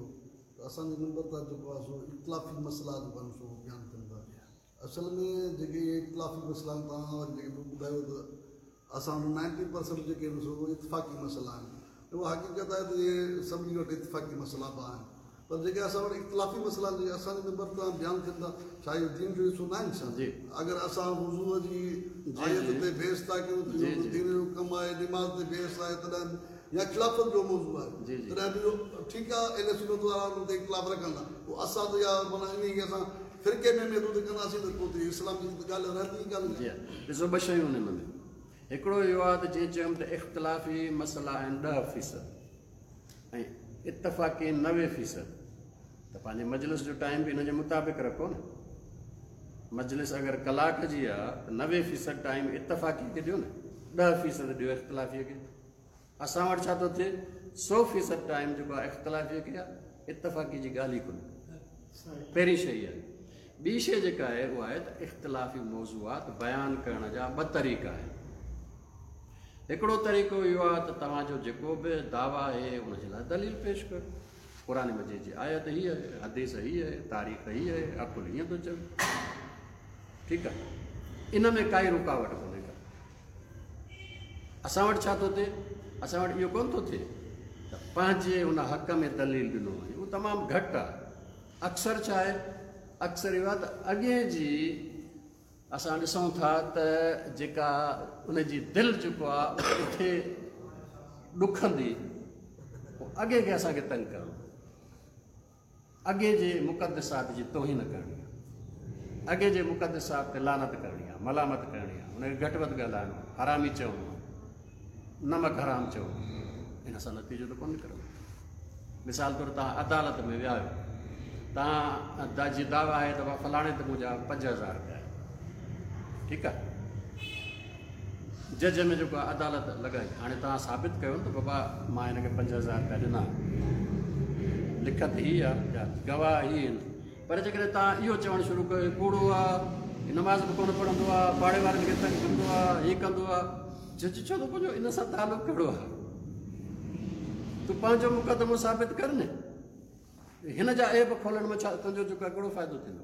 त असांजे नंबर तां जेको आहे सो इख़्तिलाफ़ी मसइला जेको आहिनि सो बयानु कनि था। असल में जेके इहे इख़्तिलाफ़ी मसइला आहिनि, तव्हां वरी जेके ॿुधायो त असां वटि नाइंटी परसेंट जेके आहिनि सो इतफ़ाक़ी मसइला आहिनि। उहा हक़ीक़त आहे त इहे सभिनी वटि इतफ़ाक़ी मसइला बि आहिनि, पर जेके असां वटि इख़्तिलाफ़ी मसइला आहिनि, जेके असांजे नंबर तां बयानु थियनि था, छा इहो दीन जो हिसो न आहिनि छा? जी। अगरि असां वुज़ूअ जी जी, आयत जी। ते बहस था कयूं त जी, इहो जी। दीन जो कमु आहे, नमाज़ ते बहस आहे तॾहिं या खिलाफ़त जो मौज़ू आहे जी, जी। तॾहिं बि इहो ठीकु आहे, अहले सुन्नत वारा हुन ते इख़्तिलाफ़ रखंदा, पोइ असां त इहा माना इन खे असां फ़िरके में महदूद कंदासीं त पोइ त इस्लाम जी त ॻाल्हि रहंदी ई कान। जी हा, ॾिसो ॿ शयूं आहिनि हिन में। हिकिड़ो इहो आहे त जीअं चयुमि त इख़्तिलाफ़ी मसइला आहिनि ॾह फ़ीसद ऐं इतफ़ाक़ी नवे फ़ीसद, त पंहिंजे मजलिस जो टाइम बि हिन जे मुताबिक़ रखो न। मजलिस अगरि कलाक जी आहे त नवे फ़ीसद टाइम इतफ़ाक़ी खे ॾियो न, ॾह फ़ीसद ॾियो इख़्तिलाफ़ीअ खे। असां वटि छा थो थिए, सौ फ़ीसद टाइम जेको आहे इख़्तिलाफ़ीअ खे आहे, इतफ़ाक़ी जी ॻाल्हि ई कोन्हे। पहिरीं शइ आहे। ॿी शइ जेका आहे उहा आहे त इख़्तिलाफ़ी मौज़ूआत बयानु करण जा ॿ तरीक़ा आहिनि। हिकिड़ो तरीक़ो इहो आहे त तव्हांजो जेको बि दावा आहे उन जे लाइ दलील पेश कयो, क़ुर मजीद जी आयत हीअ आहे, हदीस हीअ आहे, तारीख़ हीअ आहे, अकुल हीअं थो चवे, ठीकु आहे, इन में काई रुकावट कोन्हे का। असां वटि छा थो थिए, असां वटि इहो कोन थो थिए त पंहिंजे हुन हक़ में दलील ॾिनो वञे, उहो तमामु घटि आहे। अक्सर छा आहे, अक्सर इहो आहे त अॻे जी असां ॾिसूं था त जेका उनजी दिलि जेको आहे किथे ॾुखंदी, पोइ अॻे खे असांखे तंग करणो, अॻे जे मुक़दसात जी तोहीन करणी आहे, अॻे जे मुक़दसात ते लानत करणी आहे, मलामत करणी आहे, हुनखे घटि वधि ॻाल्हाइणो आहे, हरामी चवणो आहे, नमक हराम चवणो आहे, हिन सां नतीजो त कोन निकिरंदो। मिसाल तौरु तव्हां अदालत में विया आहियो, तव्हां जी दावा आहे त फलाणे ते मुंहिंजा पंज हज़ार रुपया आहिनि, ठीकु आहे, जज में जेको अदालत लॻाई, हाणे तव्हां साबित कयो न त बाबा मां हिनखे पंज हज़ार रुपया ॾिना, लिखत हीअ आहे या गवाह हीअ आहिनि, पर जेकॾहिं तव्हां इहो चवणु शुरू कयो कूड़ो आहे, नमाज़ बि कोन पढ़ंदो आहे, पाड़े वारनि खे तंग कंदो आहे, हीअ कंदो आहे, जज चवंदो मुंहिंजो इन सां तालुक़ु कहिड़ो आहे, तूं पंहिंजो मुक़दमो साबित कर न, हिन जा ऐब खोलण में छा तुंहिंजो जेको आहे कहिड़ो फ़ाइदो थींदो।